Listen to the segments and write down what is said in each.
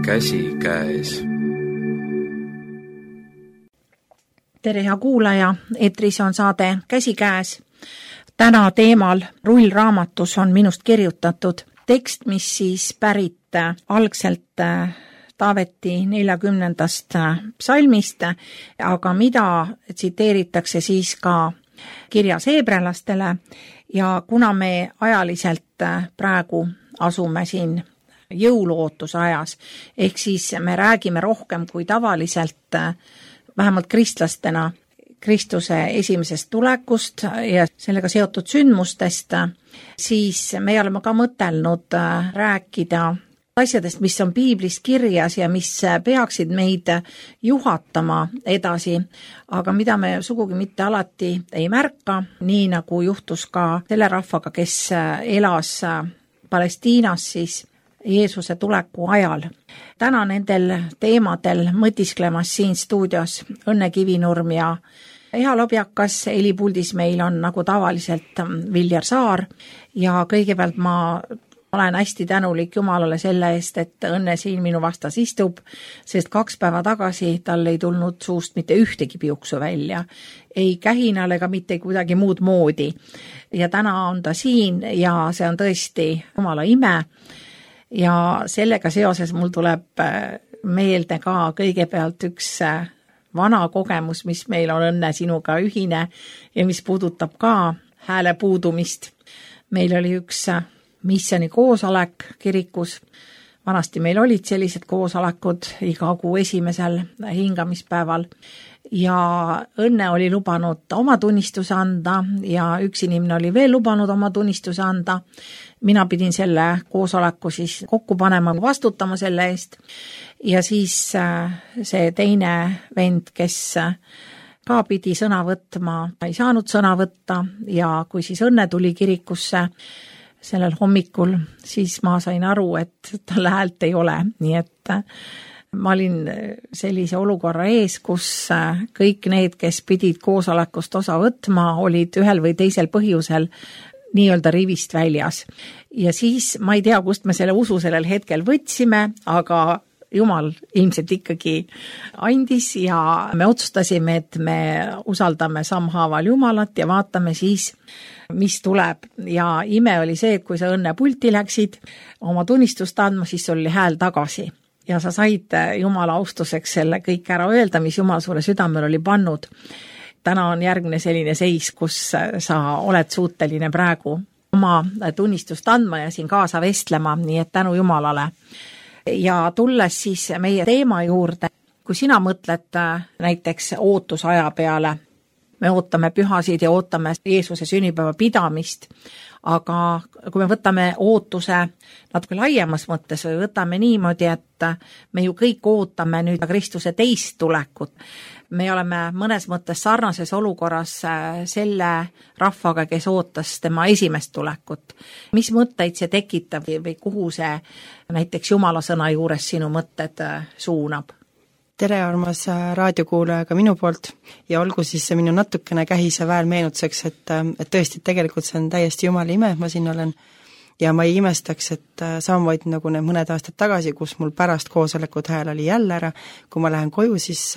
käsikäes. Tere hea kuulaja, eetris on saade Käsikäes. Täna teemal Rullraamatus on minust kirjutatud tekst, mis siis pärit algselt Taaveti 40. psalmist, aga mida tsiteeritakse siis ka kirjas heebrealastele ja kuna me ajaliselt praegu asume siin jõuluootuse ajas, ehk siis me räägime rohkem kui tavaliselt vähemalt kristlastena Kristuse esimesest tulekust ja sellega seotud sündmustest, siis me oleme ka mõtelnud rääkida asjadest, mis on piiblis kirjas ja mis peaksid meid juhatama edasi, aga mida me sugugi mitte alati ei märka, nii nagu juhtus ka selle rahvaga, kes elas Palestiinas siis Jeesuse tuleku ajal. Täna nendel teemadel mõtisklemas siin stuudios Õnne Kivinurm ja Eha Lobjakas, helipuldis meil on nagu tavaliselt Viljar Saar ja kõigepealt ma olen hästi tänulik Jumalale selle eest, et Õnne siin minu vastas istub, sest 2 päeva tagasi tal ei tulnud suust mitte ühtegi piuksu välja, ei kähinal ega mitte kuidagi muud moodi. Ja täna on ta siin ja see on tõesti Jumala ime ja sellega seoses mul tuleb meelde ka kõigepealt üks vana kogemus, mis meil on Õnne sinuga ühine ja mis puudutab ka hääle puudumist. Meil oli üks missiooni koosolek kirikus. Vanasti meil olid sellised koosolekud iga kuu esimesel hingamispäeval ja Õnne oli lubanud oma tunnistuse anda ja üks inimene oli veel lubanud oma tunnistuse anda. Mina pidin selle koosoleku siis kokku panema, vastutama selle eest ja siis see teine vend, kes ka pidi sõna võtma, ei saanud sõna võtta ja kui siis Õnne tuli kirikusse sellel hommikul, siis ma sain aru, et tal häält ei ole, nii et ma olin sellise olukorra ees, kus kõik need, kes pidid koosolekust osa võtma, olid ühel või teisel põhjusel nii-öelda rivist väljas. Ja siis ma ei tea, kust me selle usu sellel hetkel võtsime, aga Jumal ilmselt ikkagi andis ja me otsustasime, et me usaldame sammhaaval Jumalat ja vaatame siis, mis tuleb. Ja ime oli see, et kui sa Õnne pulti läksid oma tunnistust andma, siis sul oli hääl tagasi. Ja sa said Jumala austuseks selle kõik ära öelda, mis Jumal sulle südamel oli pannud. Täna on järgmine selline seis, kus sa oled suuteline praegu oma tunnistust andma ja siin kaasa vestlema, nii et tänu Jumalale. Ja tulles siis meie teema juurde, kui sina mõtled näiteks ootusaja peale, me ootame pühasid ja ootame Jeesuse sünnipäeva pidamist, aga kui me võtame ootuse natuke laiemas mõttes või võtame niimoodi, et me ju kõik ootame nüüd Kristuse teist tulekut. Me oleme mõnes mõttes sarnases olukorras selle rahvaga, kes ootas tema esimest tulekut. Mis mõtteid see tekitab või kuhu see näiteks Jumala sõna juures sinu mõtted suunab? Tere, armas raadiokuulaja ka minu poolt ja olgu siis see minu natukene kähise väär meenutuseks, et tõesti tegelikult see on täiesti Jumala ime, et ma siin olen ja ma ei imestaks, et samamoodi nagu need mõned aastad tagasi, kus mul pärast koosolekut hääl oli jälle ära, kui ma lähen koju, siis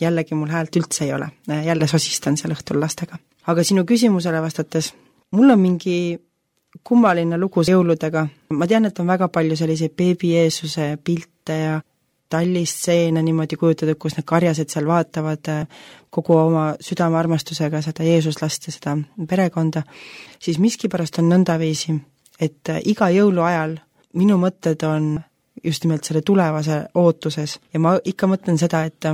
jällegi mul häält üldse ei ole, jälle sosistan seal õhtul lastega. Aga sinu küsimusele vastates, mul on mingi kummaline lugu jõuludega, ma tean, et on väga palju selliseid beebi Jeesuse pilte ja tallistseene niimoodi kujutatud, kus need karjased seal vaatavad kogu oma südamearmastusega seda Jeesuslast ja seda perekonda, siis miskipärast on nõndaviisi, et iga jõulu ajal minu mõtted on just nimelt selle tulevase ootuses ja ma ikka mõtlen seda, et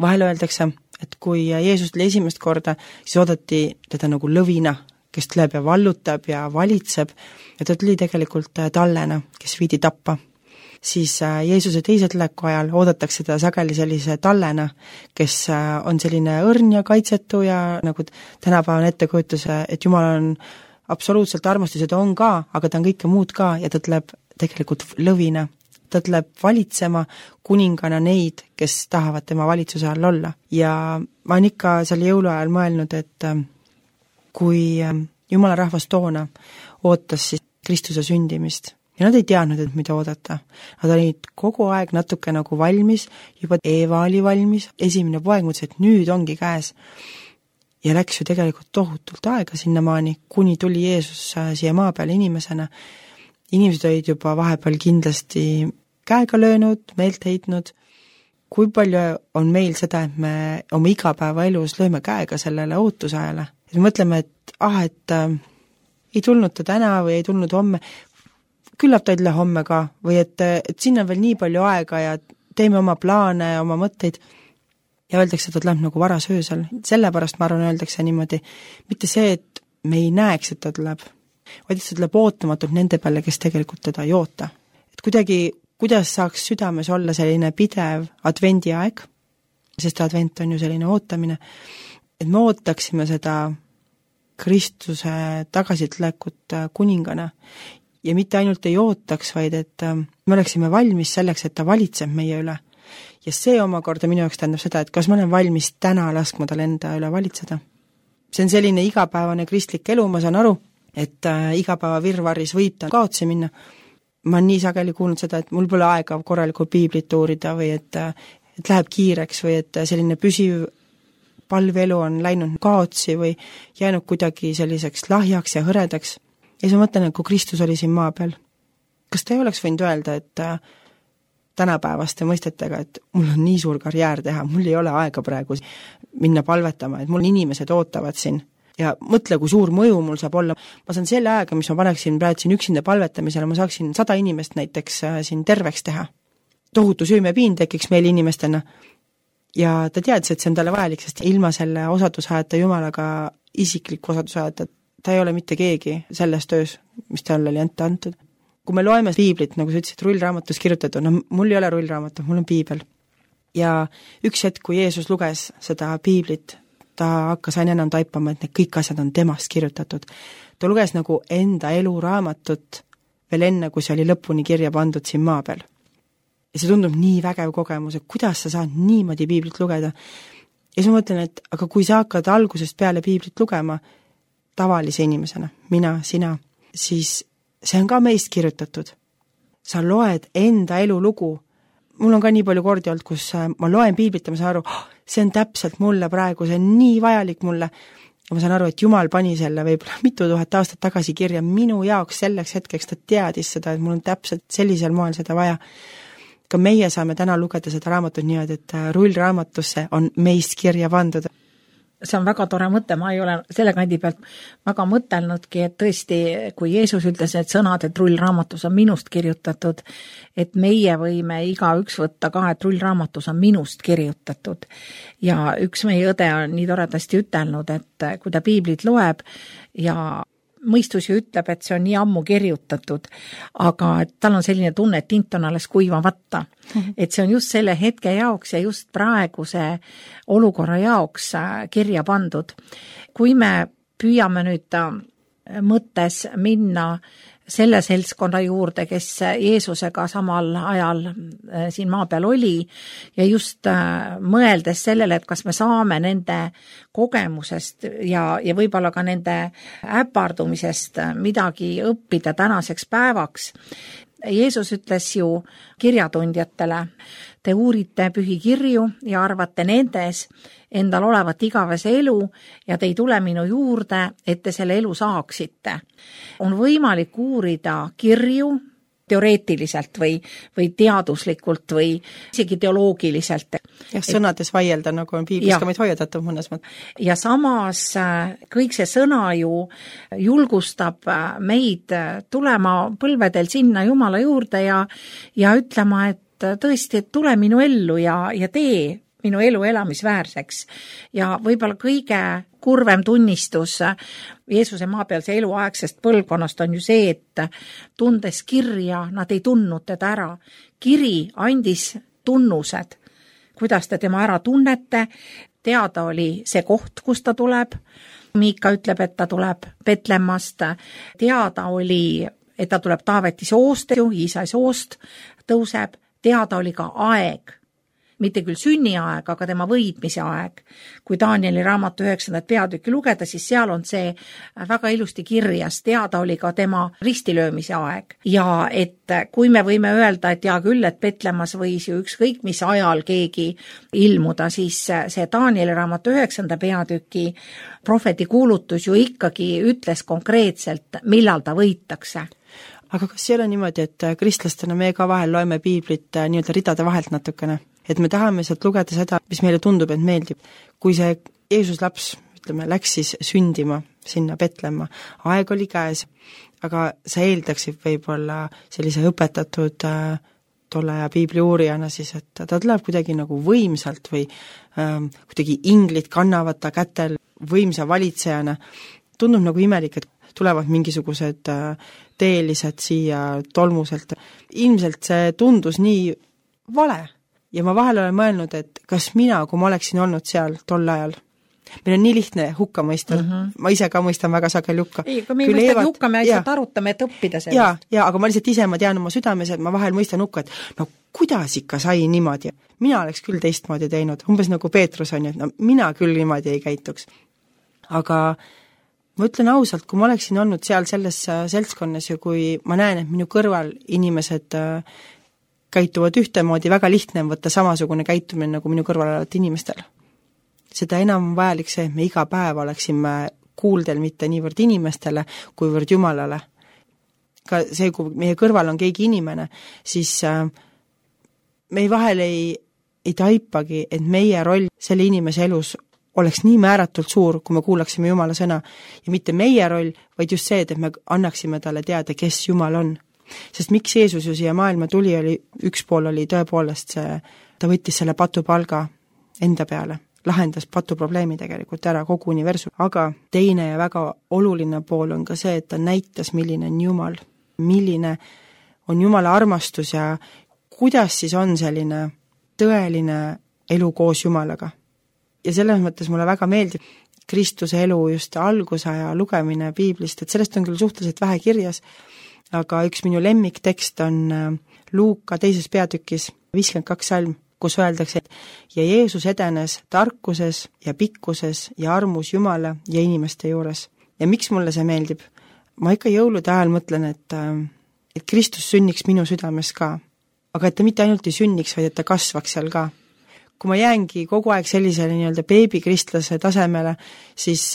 vahel öeldakse, et kui Jeesus tuli esimest korda, siis oodati teda nagu lõvina, kes tuleb ja vallutab ja valitseb ja ta tuli tegelikult tallena, kes viidi tappa. Siis Jeesuse teise tuleku ajal oodatakse teda sageli sellise tallena, kes on selline õrn ja kaitsetu ja nagu tänapäeval ettekujutus, et Jumal on absoluutselt armastus ja ta on ka, aga ta on kõike muud ka ja ta tuleb tegelikult lõvina. Ta tuleb valitsema kuningana neid, kes tahavad tema valitsuse all olla. Ja ma olen ikka seal jõuluajal mõelnud, et kui Jumala rahvas toona ootas siis Kristuse sündimist ja nad ei teadnud, et mida oodata. Nad olid kogu aeg natuke nagu valmis, juba Eeva oli valmis, esimene poeg mõtles, et nüüd ongi käes. Ja läks ju tegelikult tohutult aega sinnamaani, kuni tuli Jeesus siia maa peale inimesena. Inimesed olid juba vahepeal kindlasti käega löönud, meelt heitnud. Kui palju on meil seda, et me oma igapäevaelus lööme käega sellele ootusajale? Et me mõtleme, et ei tulnud ta täna või ei tulnud homme, küllap ta ei tule homme ka, või et siin on veel nii palju aega ja teeme oma plaane ja oma mõtteid. Ja öeldakse, et ta tuleb nagu varas öösel. Sellepärast ma arvan, öeldakse niimoodi, mitte see, et me ei näeks, et ta tuleb, vaid et ta tuleb ootamatult nende peale, kes tegelikult teda ei oota. Et kuidagi, kuidas saaks südames olla selline pidev advendiaeg, sest advent on ju selline ootamine, et me ootaksime seda Kristuse tagasitulekut kuningana ja mitte ainult ei ootaks, vaid et me oleksime valmis selleks, et ta valitseb meie üle. Ja see omakorda minu jaoks tähendab seda, et kas ma olen valmis täna laskma tal enda üle valitseda. See on selline igapäevane kristlik elu, ma saan aru, et igapäeva virvaris võib ta kaotsi minna. Ma olen nii sageli kuulnud seda, et mul pole aega korralikku piiblit uurida või et läheb kiireks või et selline püsiv palvelu on läinud kaotsi või jäänud kuidagi selliseks lahjaks ja hõredaks. Ja siis ma mõtlen, et kui Kristus oli siin maa peal, kas ta ei oleks võinud öelda, et tänapäevaste mõistetega, et mul on nii suur karjäär teha, mul ei ole aega praegu minna palvetama, et mul inimesed ootavad siin ja mõtle, kui suur mõju mul saab olla. Ma saan selle aega, mis ma paneksin praegu siin üksinda palvetamisele, ma saaksin 100 inimest näiteks siin terveks teha. Tohutu süümepiin tekiks meil inimestena ja ta teadis, et see on talle vajalik, sest ilma selle osadusajata Jumalaga isikliku osadusajata ta ei ole mitte keegi selles töös, mis talle oli antud. Kui me loeme piiblit, nagu sa ütlesid, rullraamatus kirjutatud, no mul ei ole rullraamatut, mul on piibel. Ja üks hetk, kui Jeesus luges seda piiblit, ta hakkas aina enam taipama, et need kõik asjad on temast kirjutatud. Ta luges nagu enda eluraamatut veel enne, kui see oli lõpuni kirja pandud siin maa peal. Ja see tundub nii vägev kogemus, et kuidas sa saad niimoodi piiblit lugeda. Ja siis ma mõtlen, et aga kui sa hakkad algusest peale piiblit lugema tavalise inimesena, mina, sina, siis see on ka meist kirjutatud. Sa loed enda elulugu. Mul on ka nii palju kordi olnud, kus ma loen piiblit ja ma saan aru, see on täpselt mulle praegu, see on nii vajalik mulle. Ja ma saan aru, et Jumal pani selle võib-olla mitu tuhat aastat tagasi kirja minu jaoks selleks hetkeks, ta teadis seda, et mul on täpselt sellisel moel seda vaja. Ka meie saame täna lugeda seda raamatut niimoodi, et rullraamatusse on meist kirja pandud. See on väga tore mõte, ma ei ole selle kandi pealt väga mõtelnudki, et tõesti, kui Jeesus ütles need sõnad, et rullraamatus on minust kirjutatud, et meie võime igaüks võtta ka, et rullraamatus on minust kirjutatud. Ja üks meie õde on nii toredasti ütelnud, et kui ta piiblit loeb ja mõistus ju ütleb, et see on nii ammu kirjutatud, aga tal on selline tunne, et tint on alles kuivamata. Et see on just selle hetke jaoks ja just praeguse olukorra jaoks kirja pandud. Kui me püüame nüüd mõttes minna selle seltskonna juurde, kes Jeesusega samal ajal siin maa peal oli ja just mõeldes sellele, et kas me saame nende kogemusest ja võib-olla ka nende äpardumisest midagi õppida tänaseks päevaks. Jeesus ütles ju kirjatundjatele, te uurite pühi kirju ja arvate nendes endal olevat igavese elu ja te ei tule minu juurde, et te selle elu saaksite. On võimalik uurida kirju teoreetiliselt või teaduslikult või isegi teoloogiliselt. Ja sõnades vaielda, nagu on piiblis ka meid hoiatatud mõnes mõttes. Ja samas kõik see sõna ju julgustab meid tulema põlvedel sinna Jumala juurde ja ütlema, et tõesti, et tule minu ellu ja tee minu elu elamisväärseks. Ja võib-olla kõige kurvem tunnistus Jeesuse maapealse eluaegsest põlvkonnast on ju see, et tundes kirja, nad ei tundnud teda ära. Kiri andis tunnused, kuidas te tema ära tunnete, teada oli see koht, kus ta tuleb. Miika ütleb, et ta tuleb Betlemmast, teada oli, et ta tuleb Taaveti soost, Iisai soost tõuseb, teada oli ka aeg. mitte küll sünniaeg, aga tema võitmise aeg. Kui Danieli raamatu 9. peatükki lugeda, siis seal on see väga ilusti kirjas, teada oli ka tema ristilöömise aeg. Ja et kui me võime öelda, et hea küll, et Petlemmas võis ju ükskõik mis ajal keegi ilmuda, siis see Danieli raamatu 9. peatüki prohveti kuulutus ju ikkagi ütles konkreetselt, millal ta võitakse. Aga kas ei ole niimoodi, et kristlastena me ka vahel loeme piiblit nii-öelda ridade vahelt natukene? Et me tahame sealt lugeda seda, mis meile tundub, et meeldib. Kui see Jeesus laps, ütleme, läks siis sündima sinna Petlemma, aeg oli käes, aga sa eeldaksid võib-olla sellise õpetatud tolle aja piibli uurijana siis, et ta tuleb kuidagi nagu võimsalt või kuidagi inglid kannavad ta kätel võimsa valitsejana. Tundub nagu imelik, et tulevad mingisugused teelised siia tolmuselt. Ilmselt see tundus nii vale ja ma vahel olen mõelnud, et kas mina, kui ma oleksin olnud seal tol ajal, meil on nii lihtne hukka mõista, ma ise ka mõistan väga sageli hukka. Ei, aga me ei mõista hukka, me lihtsalt arutame, et õppida sellest. Aga ma lihtsalt ise, ma tean oma südames, et ma vahel mõistan hukka, et no kuidas ikka sai niimoodi? Mina oleks küll teistmoodi teinud, umbes nagu Peetrus on ju, et no mina küll niimoodi ei käituks. Aga ma ütlen ausalt, kui ma oleksin olnud seal selles seltskonnas ja kui ma näen, et minu kõrval inimesed käituvad ühtemoodi, väga lihtne on võtta samasugune käitumine nagu minu kõrval olevat inimestel. Seda enam vajalik see, et me iga päev oleksime kuuldel mitte niivõrd inimestele, kuivõrd Jumalale. Ka see, kui meie kõrval on keegi inimene, siis me vahel ei taipagi, et meie roll selle inimese elus oleks nii määratult suur, kui me kuulaksime Jumala sõna. Ja mitte meie roll, vaid just see, et me annaksime talle teada, kes Jumal on. Sest miks Jeesus ju siia maailma tuli, üks pool oli tõepoolest see, ta võttis selle patupalga enda peale, lahendas patuprobleemi tegelikult ära kogu universum. Aga teine ja väga oluline pool on ka see, et ta näitas, milline on Jumal, milline on Jumala armastus ja kuidas siis on selline tõeline elu koos Jumalaga. Ja selles mõttes mulle väga meeldib Kristuse elu just algusaja lugemine piiblist, et sellest on küll suhteliselt vähe kirjas, aga üks minu lemmiktekst on Luuka 2. peatükis 52 salm, kus öeldakse, et ja Jeesus edenes tarkuses ja pikkuses ja armus Jumala ja inimeste juures. Ja miks mulle see meeldib? Ma ikka jõulude ajal mõtlen, et Kristus sünniks minu südames ka, aga et ta mitte ainult ei sünniks, vaid et ta kasvaks seal ka. Kui ma jäängi kogu aeg sellisele nii-öelda beebikristlase tasemele, siis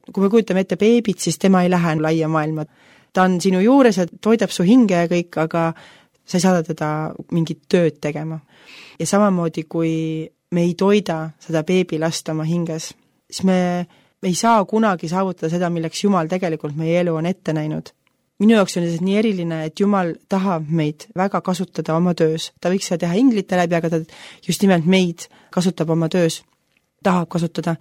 kui me kujutame ette beebit, siis tema ei lähe laia maailma. Ta on sinu juures ja toidab su hinge ja kõik, aga sa ei saada teda mingit tööd tegema. Ja samamoodi, kui me ei toida seda beebilast oma hinges, siis me ei saa kunagi saavutada seda, milleks Jumal tegelikult meie elu on ette näinud. Minu jaoks on see nii eriline, et Jumal tahab meid väga kasutada oma töös. Ta võiks seda teha inglite läbi, aga ta just nimelt meid kasutab oma töös, tahab kasutada.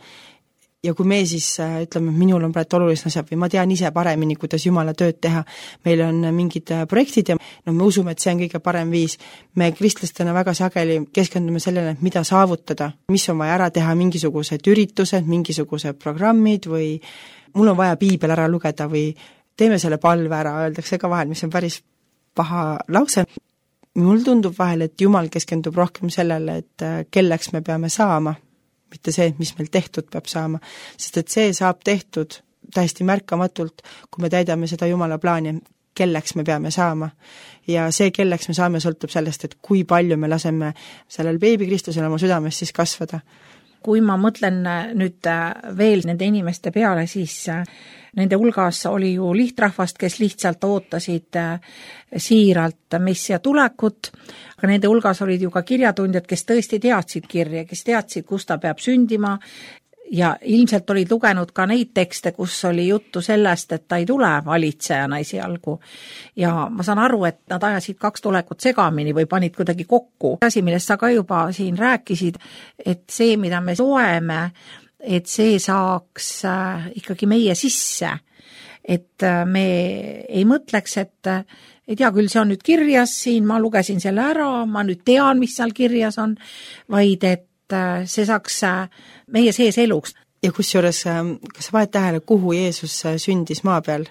Ja kui me siis ütleme, minul on praegu olulised asjad või ma tean ise paremini, kuidas Jumala tööd teha, meil on mingid projektid ja me usume, et see on kõige parem viis. Me kristlastena väga sageli keskendume sellele, mida saavutada, mis on vaja ära teha, mingisugused üritused, mingisugused programmid või mul on vaja piibel ära lugeda või teeme selle palve ära, öeldakse ka vahel, mis on päris paha lause. Mul tundub vahel, et Jumal keskendub rohkem sellele, et kelleks me peame saama, mitte see, mis meil tehtud peab saama, sest et see saab tehtud täiesti märkamatult, kui me täidame seda Jumala plaani, kelleks me peame saama. Ja see, kelleks me saame, sõltub sellest, et kui palju me laseme sellel beebikristusel oma südames siis kasvada. Kui ma mõtlen nüüd veel nende inimeste peale, siis nende hulgas oli ju lihtrahvast, kes lihtsalt ootasid siiralt messia tulekut, aga nende hulgas olid ju ka kirjatundjad, kes tõesti teadsid kirja, kes teadsid, kus ta peab sündima ja ilmselt olid lugenud ka neid tekste, kus oli juttu sellest, et ta ei tule valitsejana esialgu. Ja ma saan aru, et nad ajasid 2 tulekut segamini või panid kuidagi kokku. Asi, millest sa ka juba siin rääkisid, et see, mida me loeme, et see saaks ikkagi meie sisse. Et me ei mõtleks, et hea küll, see on nüüd kirjas siin, ma lugesin selle ära, ma nüüd tean, mis seal kirjas on, vaid et see saaks meie sees eluks. Ja kusjuures, kas sa vahed tähele, kuhu Jeesus sündis maa peal?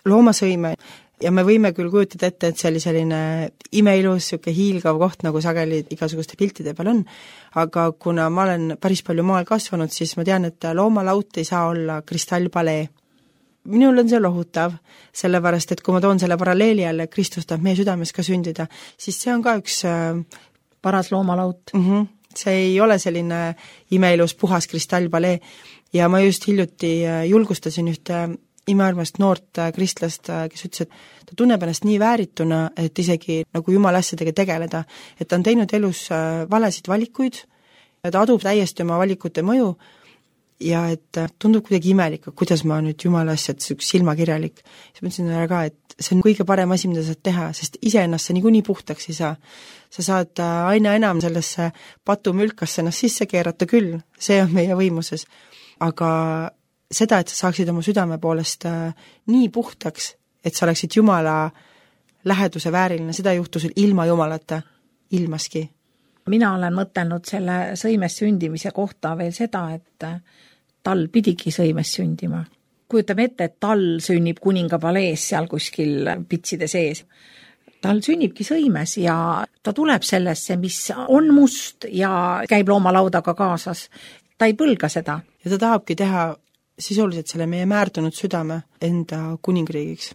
Loomasõime, ja me võime küll kujutada ette, et see oli selline imeilus, siuke hiilgav koht, nagu sageli igasuguste piltide peal on, aga kuna ma olen päris palju maal kasvanud, siis ma tean, et loomalaut ei saa olla kristallpalee. Minul on see lohutav, sellepärast, et kui ma toon selle paralleeli jälle, Kristus tahab meie südames ka sündida, siis see on ka üks paras loomalaut. See ei ole selline imeilus puhas kristallpalee ja ma just hiljuti julgustasin ühte imearmast noort kristlast, kes ütles, et ta tunneb ennast nii väärituna, et isegi nagu jumala asjadega tegeleda, et ta on teinud elus valesid valikuid, ta adub täiesti oma valikute mõju ja et tundub kuidagi imelik, kuidas ma nüüd jumala asjad, silmakirjalik. Siis ma ütlesin ka, et see on kõige parem asi, mida saad teha, sest iseennast sa niikuinii puhtaks ei saa. Sa saad aina enam sellesse patumülkasse ennast sisse keerata küll, see on meie võimuses, aga seda, et sa saaksid oma südame poolest nii puhtaks, et sa oleksid Jumala läheduse vääriline, seda juhtus ilma Jumalata, ilmaski. Mina olen mõtelnud selle sõimes sündimise kohta veel seda, et tal pidigi sõimes sündima. Kujutame ette, et tal sünnib kuninga palees seal kuskil pitside sees. Tal sünnibki sõimes ja ta tuleb sellesse, mis on must ja käib loomalaudaga kaasas. Ta ei põlga seda. Ja ta tahabki teha sisuliselt selle meie määrdunud südame enda kuningriigiks.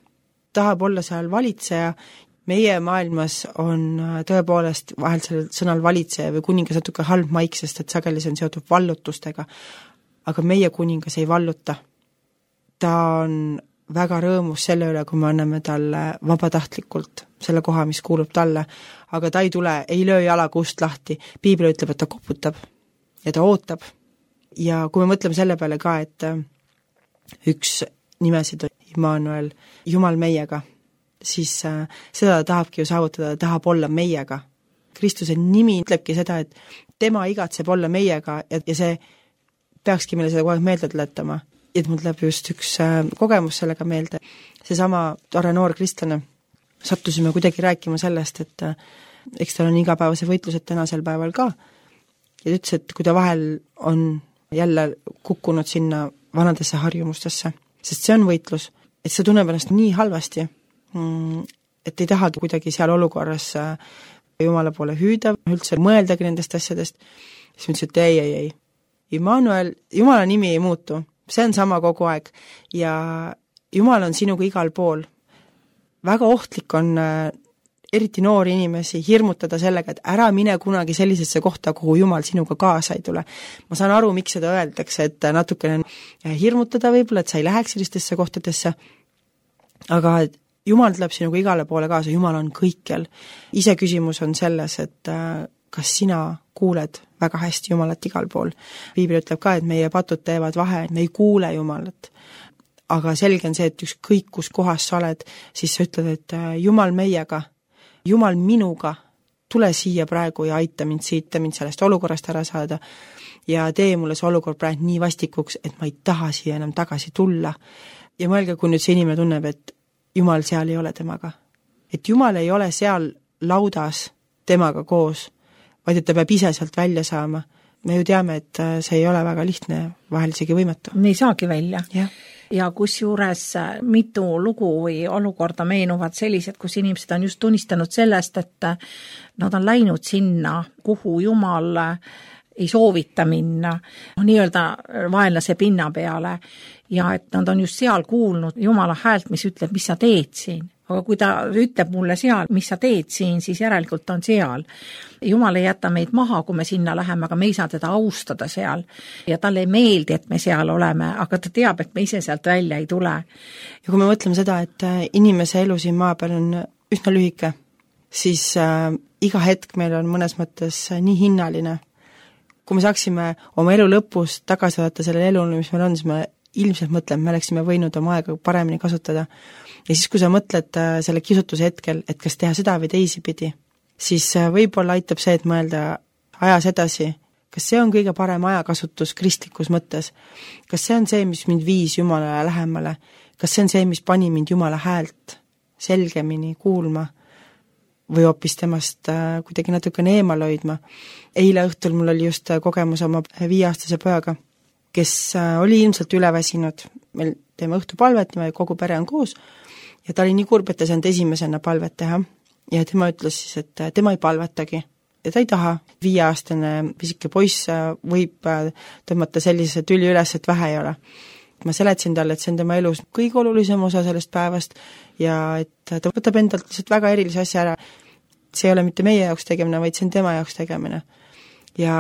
Tahab olla seal valitseja, meie maailmas on tõepoolest vahel sellel sõnal valitseja või kuningas natuke halb maik, sest et sageli see on seotud vallutustega, aga meie kuningas ei valluta. Ta on väga rõõmus selle üle, kui me anname talle vabatahtlikult selle koha, mis kuulub talle, aga ta ei tule, ei löö jalaga ust lahti, piibel ütleb, et ta koputab ja ta ootab. Ja kui me mõtleme selle peale ka, et üks nimesid on Immanuel, Jumal meiega, siis seda ta tahabki ju saavutada, ta tahab olla meiega. Kristuse nimi ütlebki seda, et tema igatseb olla meiega ja see peakski meile seda kogu aeg meelde tuletama. Et mul tuleb just üks kogemus sellega meelde. Seesama tore noor kristlane sattusime kuidagi rääkima sellest, et eks tal on igapäevase võitlused tänasel päeval ka. Ja ta ütles, et kui ta vahel on jälle kukkunud sinna vanadesse harjumustesse, sest see on võitlus, et see tunneb ennast nii halvasti, et ei tahagi kuidagi seal olukorras Jumala poole hüüda, üldse mõeldagi nendest asjadest, siis ma ütlesin, et ei. Immanuel, Jumala nimi ei muutu, see on sama kogu aeg ja Jumal on sinuga igal pool. Väga ohtlik on eriti noori inimesi hirmutada sellega, et ära mine kunagi sellisesse kohta, kuhu Jumal sinuga kaasa ei tule. Ma saan aru, miks seda öeldakse, et natukene hirmutada võib-olla, et sa ei läheks sellistesse kohtadesse, aga Jumal tuleb sinuga igale poole kaasa, Jumal on kõikjal. Ise küsimus on selles, et kas sina kuuled väga hästi Jumalat igal pool. Piibel ütleb ka, et meie patud teevad vahe, et me ei kuule Jumalat. Aga selge on see, et ükskõik kus kohas sa oled, siis sa ütled, et Jumal meiega, Jumal minuga, tule siia praegu ja aita mind siit, mind sellest olukorrast ära saada ja tee mulle see olukord praegu nii vastikuks, et ma ei taha siia enam tagasi tulla. Ja mõelge, kui nüüd see inimene tunneb, et Jumal seal ei ole temaga. Et Jumal ei ole seal laudas temaga koos, vaid et ta peab ise sealt välja saama. Me ju teame, et see ei ole väga lihtne, vahel isegi võimatu. Ei saagi välja. Ja kusjuures mitu lugu või olukorda meenuvad sellised, kus inimesed on just tunnistanud sellest, et nad on läinud sinna, kuhu Jumal ei soovita minna, nii-öelda vaenlase pinna peale ja et nad on just seal kuulnud Jumala häält, mis ütleb, mis sa teed siin. Aga kui ta ütleb mulle seal, mis sa teed siin, siis järelikult on seal. Jumal ei jäta meid maha, kui me sinna läheme, aga me ei saa teda austada seal. Ja talle ei meeldi, et me seal oleme, aga ta teab, et me ise sealt välja ei tule. Ja kui me mõtleme seda, et inimese elu siin maa peal on üsna lühike, siis iga hetk meil on mõnes mõttes nii hinnaline. Kui me saaksime oma elu lõpus tagasi vaadata selle elule, mis meil on, siis me ilmselt mõtleme, me oleksime võinud oma aega paremini kasutada. Ja siis, kui sa mõtled selle kisutuse hetkel, et kas teha seda või teisipidi, siis võib-olla aitab see, et mõelda ajas edasi, kas see on kõige parem ajakasutus kristlikus mõttes, kas see on see, mis mind viis Jumalale lähemale, kas see on see, mis pani mind Jumala häält selgemini kuulma või hoopis temast kuidagi natukene eemal hoidma. Eile õhtul mul oli just kogemus oma 5-aastase pojaga, kes oli ilmselt üleväsinud, meil teeme õhtupalvet, kogu pere on koos, ja ta oli nii kurb, et ta saanud esimesena palvet teha ja tema ütles siis, et tema ei palvetagi ja ta ei taha. 5-aastane pisike poiss võib tõmmata sellise tüli üles, et vähe ei ole. Ma seletasin talle, et see on tema elus kõige olulisem osa sellest päevast ja et ta võtab endalt lihtsalt väga erilise asja ära. See ei ole mitte meie jaoks tegemine, vaid see on tema jaoks tegemine. Ja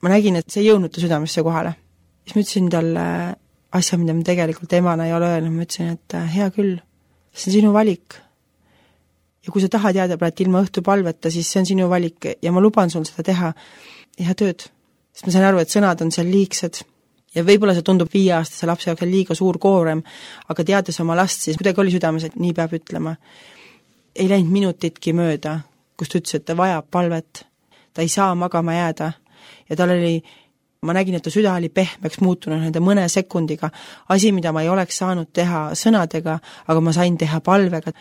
ma nägin, et see ei jõudnud ta südamesse kohale. Siis ma ütlesin talle asja, mida ma tegelikult emana ei ole öelnud, ma ütlesin, et hea küll, see on sinu valik. Ja kui sa tahad jääda praegu ilma õhtupalveta, siis see on sinu valik ja ma luban sul seda teha. Ja tööd. Sest ma sain aru, et sõnad on seal liigsed. Ja võib-olla see tundub 5-aastase lapse jaoks liiga suur koorem, aga teades oma last, siis kuidagi oli südames, et nii peab ütlema. Ei läinud minutitki mööda, kus ta ütles, et ta vajab palvet. Ta ei saa magama jääda. Ja tal oli, ma nägin, et ta süda oli pehmeks muutunud nende mõne sekundiga. Asi, mida ma ei oleks saanud teha sõnadega, aga ma sain teha palvega.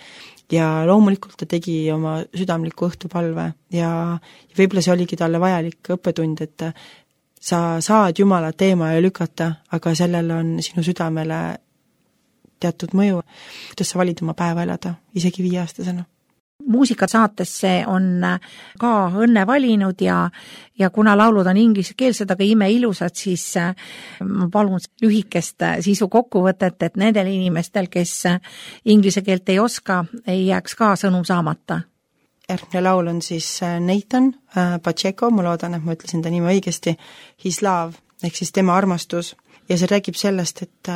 Ja loomulikult ta tegi oma südamliku õhtupalve ja võib-olla see oligi talle vajalik õppetund, et sa saad Jumala teema ja lükata, aga sellel on sinu südamele teatud mõju, kuidas sa valid oma päeva elada, isegi 5-aastasena. Muusikasaatesse on ka Õnne valinud ja kuna laulud on inglisekeelsed, aga imeilusad, siis ma palun lühikest sisu kokkuvõtet, et nendel inimestel, kes inglise keelt ei oska, ei jääks ka sõnum saamata. Järgmine laul on siis Nathan Pacheco, ma loodan, et ma ütlesin ta nime õigesti, His Love, ehk siis tema armastus. Ja see räägib sellest, et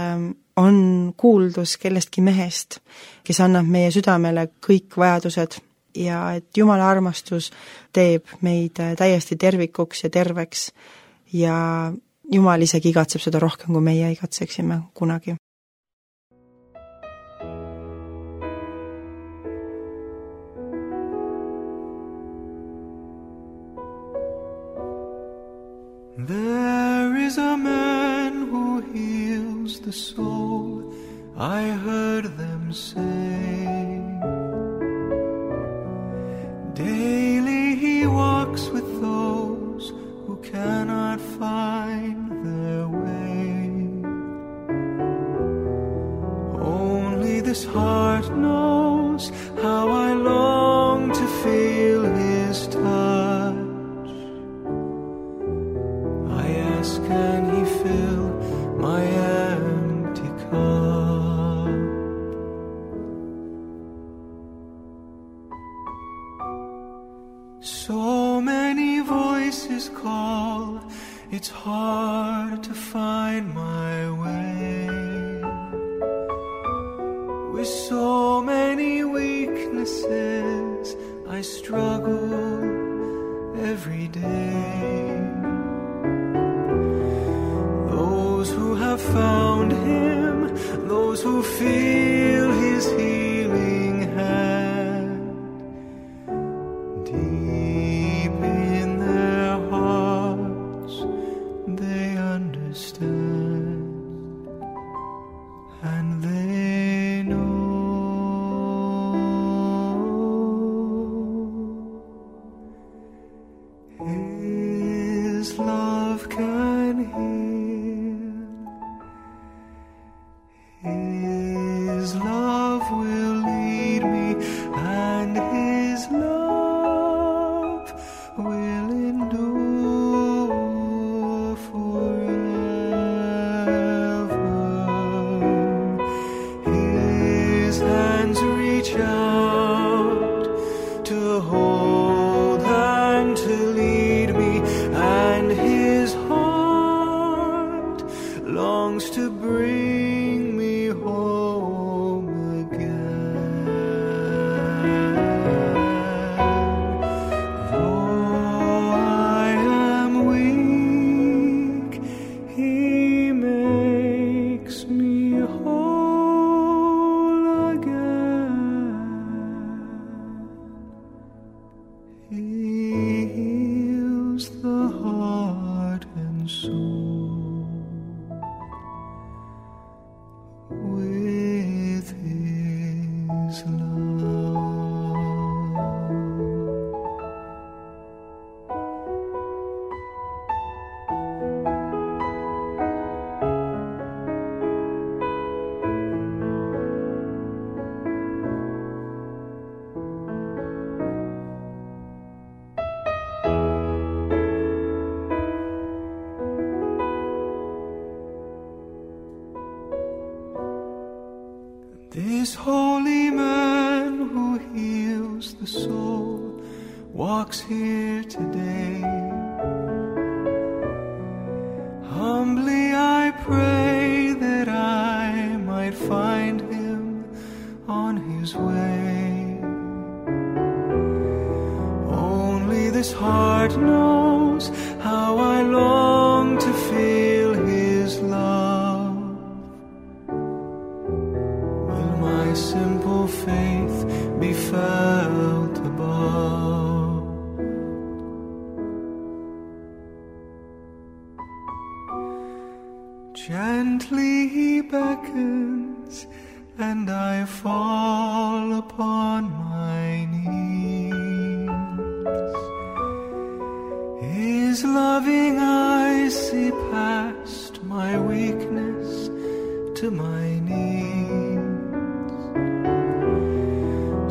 on kuuldus kellestki mehest, kes annab meie südamele kõik vajadused ja et Jumala armastus teeb meid täiesti tervikuks ja terveks ja Jumal isegi igatseb seda rohkem, kui meie igatseksime kunagi. There is a man who heals the soul, I heard them say. Daily he walks with those who cannot find their way. Only this heart knows how I long to feel his touch. Can he fill my empty cup? So many voices call, it's hard to find my way. With so many weaknesses, I struggle every day. Found him, those who feel his healing hand deep in their hearts, they understand and they know his love can heal. His walks here today. Humbly I pray that I might find him on his way. Only this heart knows how I long to feel his love. Will my simple faith be felt above? Gently he beckons, and I fall upon my knees. His loving eyes see past my weakness to my needs.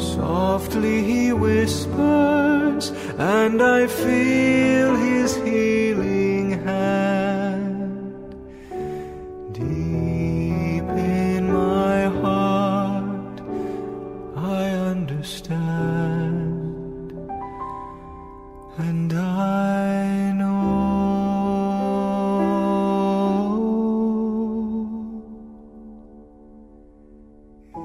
Softly he whispers, and I feel his healing hand. Deep in my heart I understand, and I know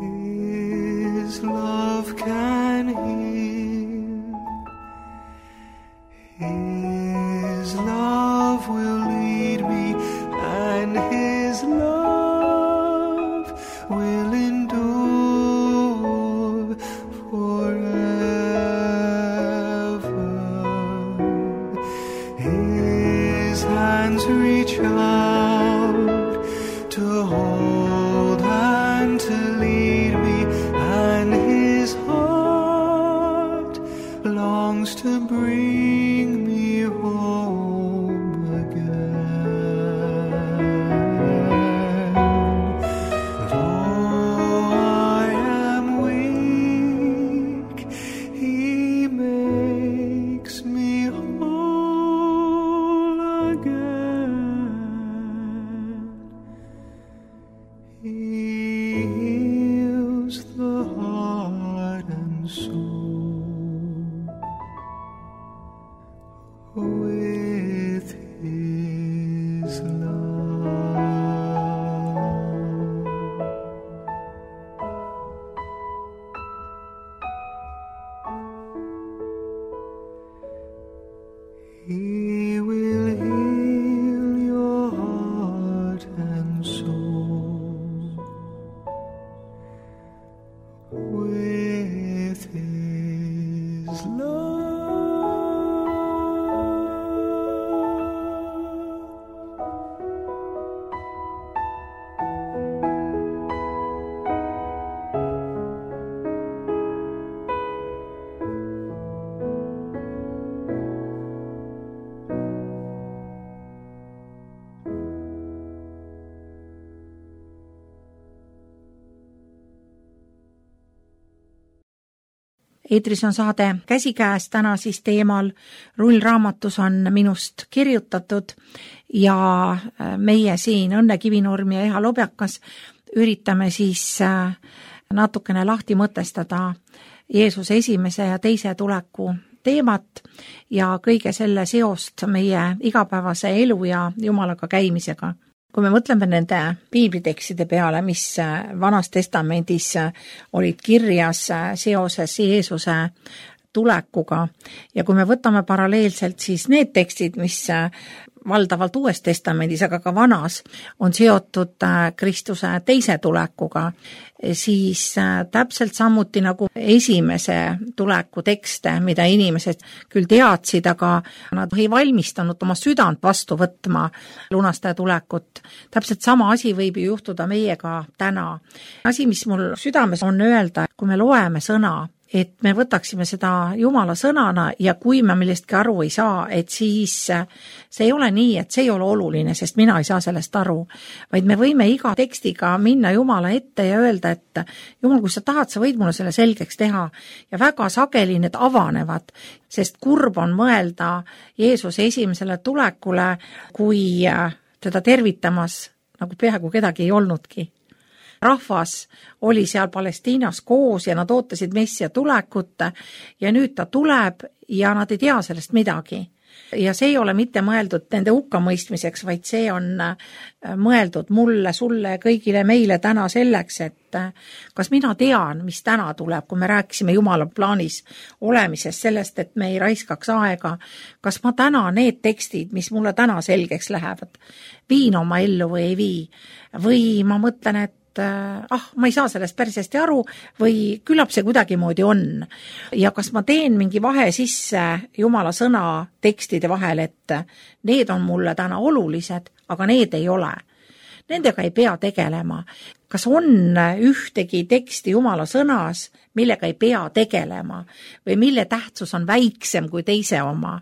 his love can heal. His love will lead me, and his love will endure forever. His hands reach out to hold and to lead me, and his heart longs to bring me home again. Though I am weak, he makes me whole again. He heals the heart and soul with his love. He will heal your heart and soul with his love. Eetris on saade Käsikäes, täna siis teemal Rullraamatus on minust kirjutatud ja meie siin Õnne Kivinurm ja Eha Lobjakas üritame siis natukene lahti mõtestada Jeesuse esimese ja teise tuleku teemat ja kõige selle seost meie igapäevase elu ja Jumalaga käimisega. Kui me mõtleme nende piiblitekstide peale, mis Vanas Testamendis olid kirjas seoses Jeesuse tulekuga ja kui me võtame paralleelselt siis need tekstid, mis valdavalt Uues Testamendis, aga ka Vanas on seotud Kristuse teise tulekuga, siis täpselt samuti nagu esimese tuleku tekste, mida inimesed küll teadsid, aga nad ei valmistanud oma südant vastu võtma lunastaja tulekut. Täpselt sama asi võib ju juhtuda meiega täna. Asi, mis mul südames on öelda, kui me loeme sõna, et me võtaksime seda Jumala sõnana ja kui me millestki aru ei saa, et siis see ei ole nii, et see ei ole oluline, sest mina ei saa sellest aru, vaid me võime iga tekstiga minna Jumala ette ja öelda, et Jumal, kui sa tahad, sa võid mulle selle selgeks teha ja väga sageli need avanevad, sest kurb on mõelda Jeesuse esimesele tulekule, kui teda tervitamas nagu peaaegu kedagi ei olnudki. Rahvas oli seal Palestiinas koos ja nad ootasid Messia tulekut ja nüüd ta tuleb ja nad ei tea sellest midagi. Ja see ei ole mitte mõeldud nende hukkamõistmiseks, vaid see on mõeldud mulle, sulle, kõigile meile täna selleks, et kas mina tean, mis täna tuleb, kui me rääkisime Jumala plaanis olemisest, sellest, et me ei raiskaks aega, kas ma täna need tekstid, mis mulle täna selgeks lähevad, viin oma ellu või ei vii, või ma mõtlen, et ma ei saa sellest päris hästi aru või küllap see kuidagimoodi on. Ja kas ma teen mingi vahe sisse Jumala sõna tekstide vahel, et need on mulle täna olulised, aga need ei ole. Nendega ei pea tegelema. Kas on ühtegi teksti Jumala sõnas, millega ei pea tegelema või mille tähtsus on väiksem kui teise oma?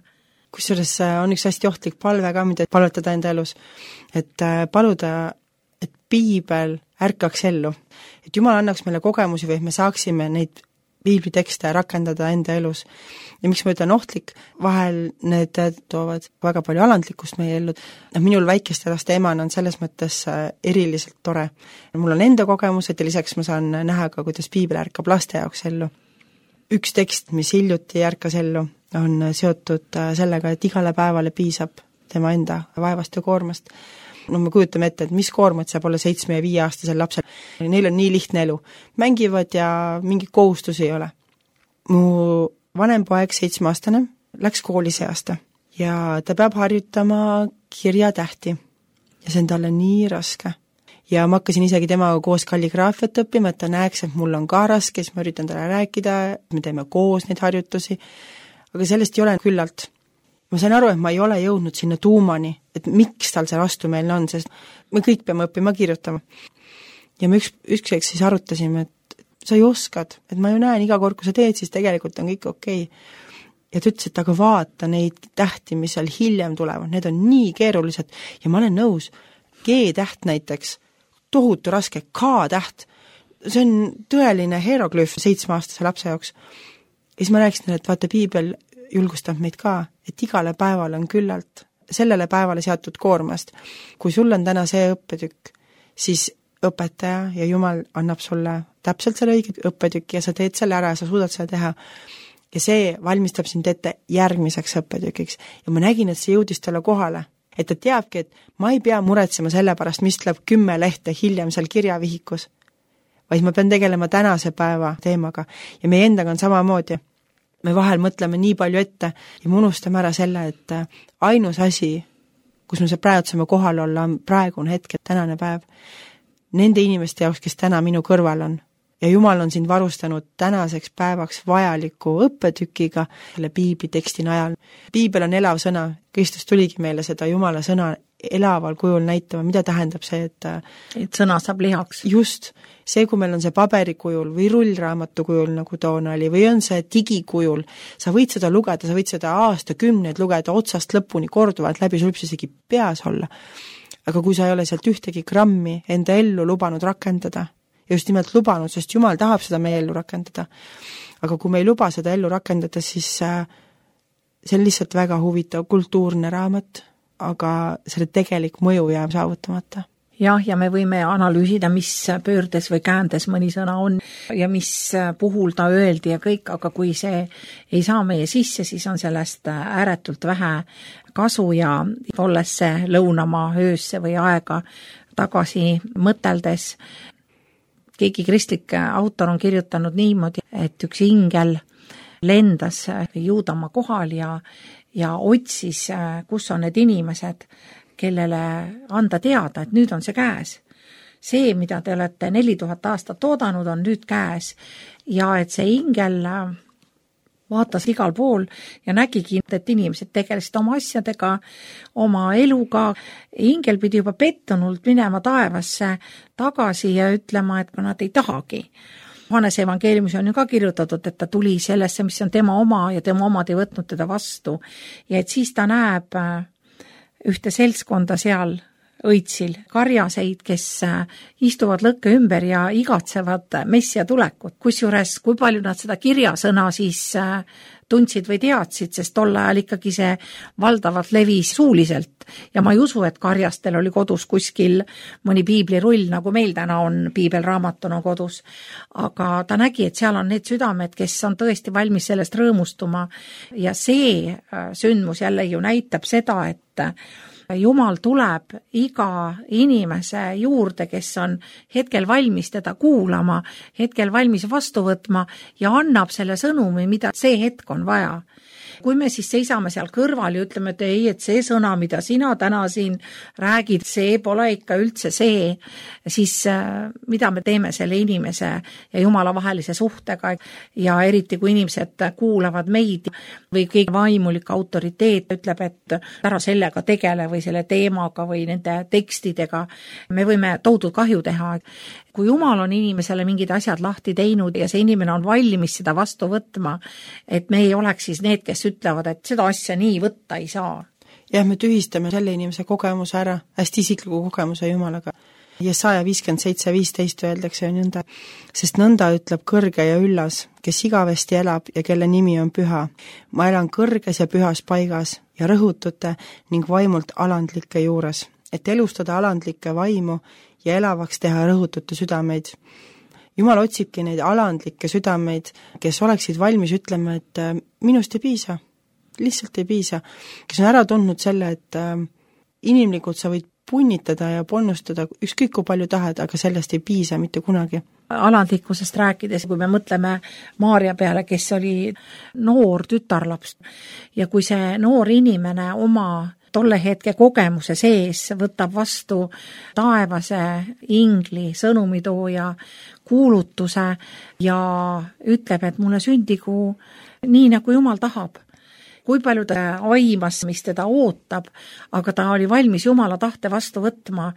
Kusjuures on üks hästi ohtlik palve ka, mida palvetada enda elus, et paluda, et piibel ärkaks ellu. Et Jumal annaks meile kogemusi või me saaksime neid piiblitekste rakendada enda elus. Ja miks ma ütlen ohtlik, vahel need toovad väga palju alandlikkust meie ellu. Minul väikeste laste emana on selles mõttes eriliselt tore. Mul on enda kogemused ja lisaks ma saan näha ka, kuidas piibel ärkab laste jaoks ellu. Üks tekst, mis hiljuti ärkas ellu, on seotud sellega, et igale päevale piisab tema enda vaevast ja koormast. Me kujutame ette, et mis koormat saab olla 7 ja 5 aastasel lapsel. Neil on nii lihtne elu. Mängivad ja mingit kohustusi ei ole. Mu vanem poeg, 7-aastane, läks kooli see aasta ja ta peab harjutama kirjatähti. Ja see on talle nii raske. Ja ma hakkasin isegi temaga koos kalligraafiat õppima, et ta näeks, et mul on ka raske, siis ma üritan talle rääkida, me teeme koos neid harjutusi. Aga sellest ei ole küllalt. Ma sain aru, et ma ei ole jõudnud sinna tuumani, et miks tal see vastumeelne on, sest me kõik peame õppima kirjutama. Ja me ükskord siis arutasime, et sa ju oskad, et ma ju näen iga kord, kui sa teed, siis tegelikult on kõik okei. Ja ta ütles, et aga vaata neid tähti, mis seal hiljem tulevad, need on nii keerulised ja ma olen nõus. G-täht näiteks, tohutu raske, K-täht, see on tõeline hieroglüüf 7-aastase lapse jaoks. Ja siis ma rääkisin, et vaata, piibel julgustab meid ka, et igale päeval on küllalt sellele päevale seatud koormast. Kui sul on täna see õppetükk, siis õpetaja ja Jumal annab sulle täpselt selle õige õppetükki ja sa teed selle ära ja sa suudad seda teha. Ja see valmistab sind ette järgmiseks õppetükiks. Ja ma nägin, et see jõudis talle kohale. Et ta teabki, et ma ei pea muretsema selle pärast, mis tuleb 10 lehte hiljem seal kirjavihikus, vaid ma pean tegelema tänase päeva teemaga. Ja meie endaga on samamoodi. Me vahel mõtleme nii palju ette ja me unustame ära selle, et ainus asi, kus me praegu saame kohal olla, on praegune hetk, tänane päev. Nende inimeste jaoks, kes täna minu kõrval on. Ja Jumal on sind varustanud tänaseks päevaks vajaliku õppetükiga selle piibli teksti najal. Piibel on elav sõna. Kristus tuligi meile seda Jumala sõna elaval kujul näitama. Mida tähendab see, et sõna saab lihaks? Just. See, kui meil on see paberikujul või rullraamatu kujul, nagu toona oli, või on see digikujul, sa võid seda lugeda, sa võid seda aastakümneid lugeda otsast lõpuni korduvalt läbi, sul võib see isegi peas olla. Aga kui sa ei ole sealt ühtegi grammi enda ellu lubanud rakendada, ja just nimelt lubanud, sest Jumal tahab seda meie ellu rakendada, aga kui me ei luba seda ellu rakendada, siis see on lihtsalt väga huvitav kultuurne raamat, aga selle tegelik mõju jääb saavutamata. Jah, ja me võime analüüsida, mis pöördes või käändes mõni sõna on ja mis puhul ta öeldi ja kõik, aga kui see ei saa meie sisse, siis on sellest ääretult vähe kasu ja olles see lõunamaa öösse või aega tagasi mõteldes. Keegi kristlik autor on kirjutanud niimoodi, et üks ingel lendas Juudamaa kohal ja otsis, kus on need inimesed, kellele anda teada, et nüüd on see käes. See, mida te olete 4000 aastat oodanud, on nüüd käes. Ja et see ingel vaatas igal pool ja nägigi, et inimesed tegelesid oma asjadega, oma eluga. Ingel pidi juba pettunult minema taevasse tagasi ja ütlema, et nad ei tahagi. Johannese evangeeliumis on ju ka kirjutatud, et ta tuli sellesse, mis on tema oma ja tema omad ei võtnud teda vastu. Ja et siis ta näeb ühte seltskonda seal õitsil karjaseid, kes istuvad lõkke ümber ja igatsevad messia tulekut. Kusjuures, kui palju nad seda kirjasõna siis tundsid või teadsid, sest tol ajal ikkagi see valdavalt levis suuliselt. Ja ma ei usu, et karjastel oli kodus kuskil mõni piiblirull, nagu meil täna on piibelraamatuna kodus. Aga ta nägi, et seal on need südamed, kes on tõesti valmis sellest rõõmustuma. Ja see sündmus jälle ju näitab seda, et Jumal tuleb iga inimese juurde, kes on hetkel valmis teda kuulama, hetkel valmis vastu võtma ja annab selle sõnumi, mida see hetk on vaja. Kui me siis seisame seal kõrval ja ütleme, et ei, et see sõna, mida sina täna siin räägid, see pole ikka üldse see, siis mida me teeme selle inimese ja Jumala vahelise suhtega ja eriti kui inimesed kuulavad meid või keegi vaimulik autoriteet ütleb, et ära sellega tegele või selle teemaga või nende tekstidega, me võime tohutut kahju teha. Kui Jumal on inimesele mingid asjad lahti teinud ja see inimene on valmis seda vastu võtma, et me ei oleks siis need, kes ütlevad, et seda asja nii võtta ei saa. Jah, me tühistame selle inimese kogemuse ära, hästi isikliku kogemuse Jumalaga. Jesaja 57:15 öeldakse nõnda, sest nõnda ütleb kõrge ja üllas, kes igavesti elab ja kelle nimi on püha. Ma elan kõrges ja pühas paigas ja rõhutute ning vaimult alandlike juures, et elustada alandlikke vaimu ja elavaks teha rõhutute südameid. Jumal otsibki neid alandlikke südameid, kes oleksid valmis ütlema, et minust ei piisa, lihtsalt ei piisa, kes on ära tundnud selle, et inimlikult sa võid punnitada ja ponnustada ükskõik kui palju tahad, aga sellest ei piisa mitte kunagi. Alandlikkusest rääkides, kui me mõtleme Maarja peale, kes oli noor tütarlaps ja kui see noor inimene oma tolle hetke kogemuse sees võtab vastu taevase ingli sõnumitooja kuulutuse ja ütleb, et mulle sündigu nii, nagu Jumal tahab. Kui palju ta aimas, mis teda ootab, aga ta oli valmis Jumala tahte vastu võtma,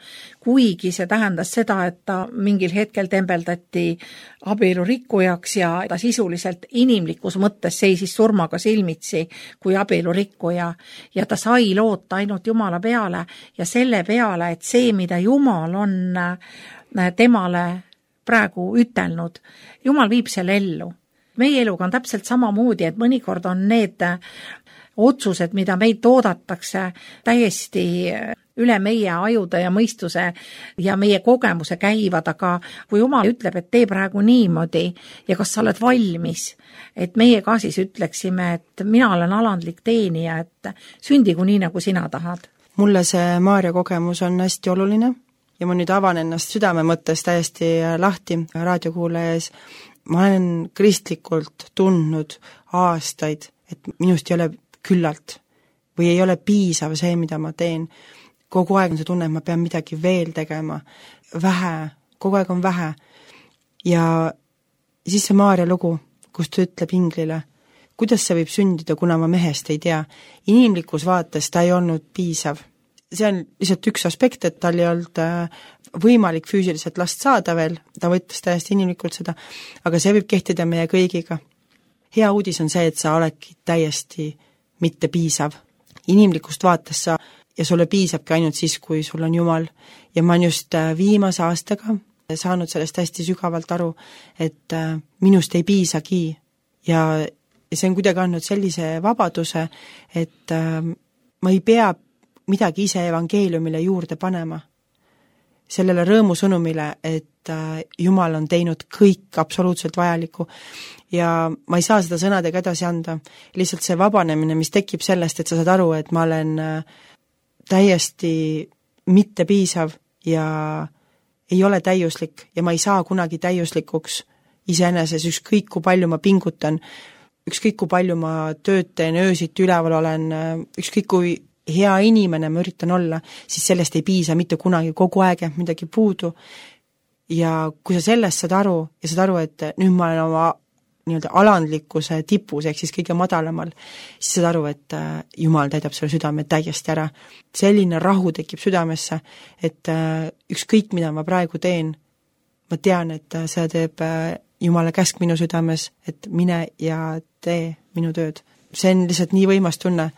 kuigi see tähendas seda, et ta mingil hetkel tembeldati abielu rikkujaks ja ta sisuliselt inimlikus mõttes seisis surmaga silmitsi kui abielu rikkuja ja ta sai loota ainult Jumala peale ja selle peale, et see, mida Jumal on temale praegu ütelnud, Jumal viib selle ellu. Meie eluga on täpselt samamoodi, et mõnikord on need otsused, mida meid toodatakse täiesti üle meie ajude ja mõistuse ja meie kogemuse käivad, aga kui Jumal ütleb, et tee praegu niimoodi ja kas sa oled valmis, et meie ka siis ütleksime, et mina olen alandlik teenija, et sündigu nii, nagu sina tahad. Mulle see Maarja kogemus on hästi oluline ja ma nüüd avan ennast südame mõttes täiesti lahti raadiokuulaja ees. Ma olen kristlikult tundnud aastaid, et minust ei ole küllalt või ei ole piisav see, mida ma teen. Kogu aeg on see tunne, et ma pean midagi veel tegema. Vähe, kogu aeg on vähe. Ja siis see Maarja lugu, kus ta ütleb inglile, kuidas see võib sündida, kuna ma mehest ei tea. Inimlikus vaates ta ei olnud piisav. See on lihtsalt üks aspekt, et tal ei olnud võimalik füüsiliselt last saada veel, ta võttis täiesti inimlikult seda, aga see võib kehtida meie kõigiga. Hea uudis on see, et sa oledki täiesti mitte piisav. Inimlikust vaates sa ja sulle piisabki ainult siis, kui sul on Jumal. Ja ma olen just viimase aastaga saanud sellest hästi sügavalt aru, et minust ei piisagi ja see on kuidagi andnud sellise vabaduse, et ma ei pea midagi ise evangeeliumile juurde panema. Sellele rõõmusõnumile, et Jumal on teinud kõik absoluutselt vajalikku ja ma ei saa seda sõnadega edasi anda. Lihtsalt see vabanemine, mis tekib sellest, et sa saad aru, et ma olen täiesti mitte piisav ja ei ole täiuslik ja ma ei saa kunagi täiuslikuks iseeneses, ükskõik kui palju ma pingutan, ükskõik kui palju ma tööd teen, öösiti üleval olen, ükskõik kui hea inimene ma üritan olla, siis sellest ei piisa mitte kunagi, kogu aeg jääb midagi puudu. Ja kui sa sellest saad aru ja saad aru, et nüüd ma olen oma nii-öelda alandlikkuse tipus, ehk siis kõige madalamal, siis saad aru, et Jumal täidab selle südame täiesti ära. Selline rahu tekib südamesse, et ükskõik mida ma praegu teen, ma tean, et see teeb Jumala käsk minu südames, et mine ja tee minu tööd. See on lihtsalt nii võimas tunne.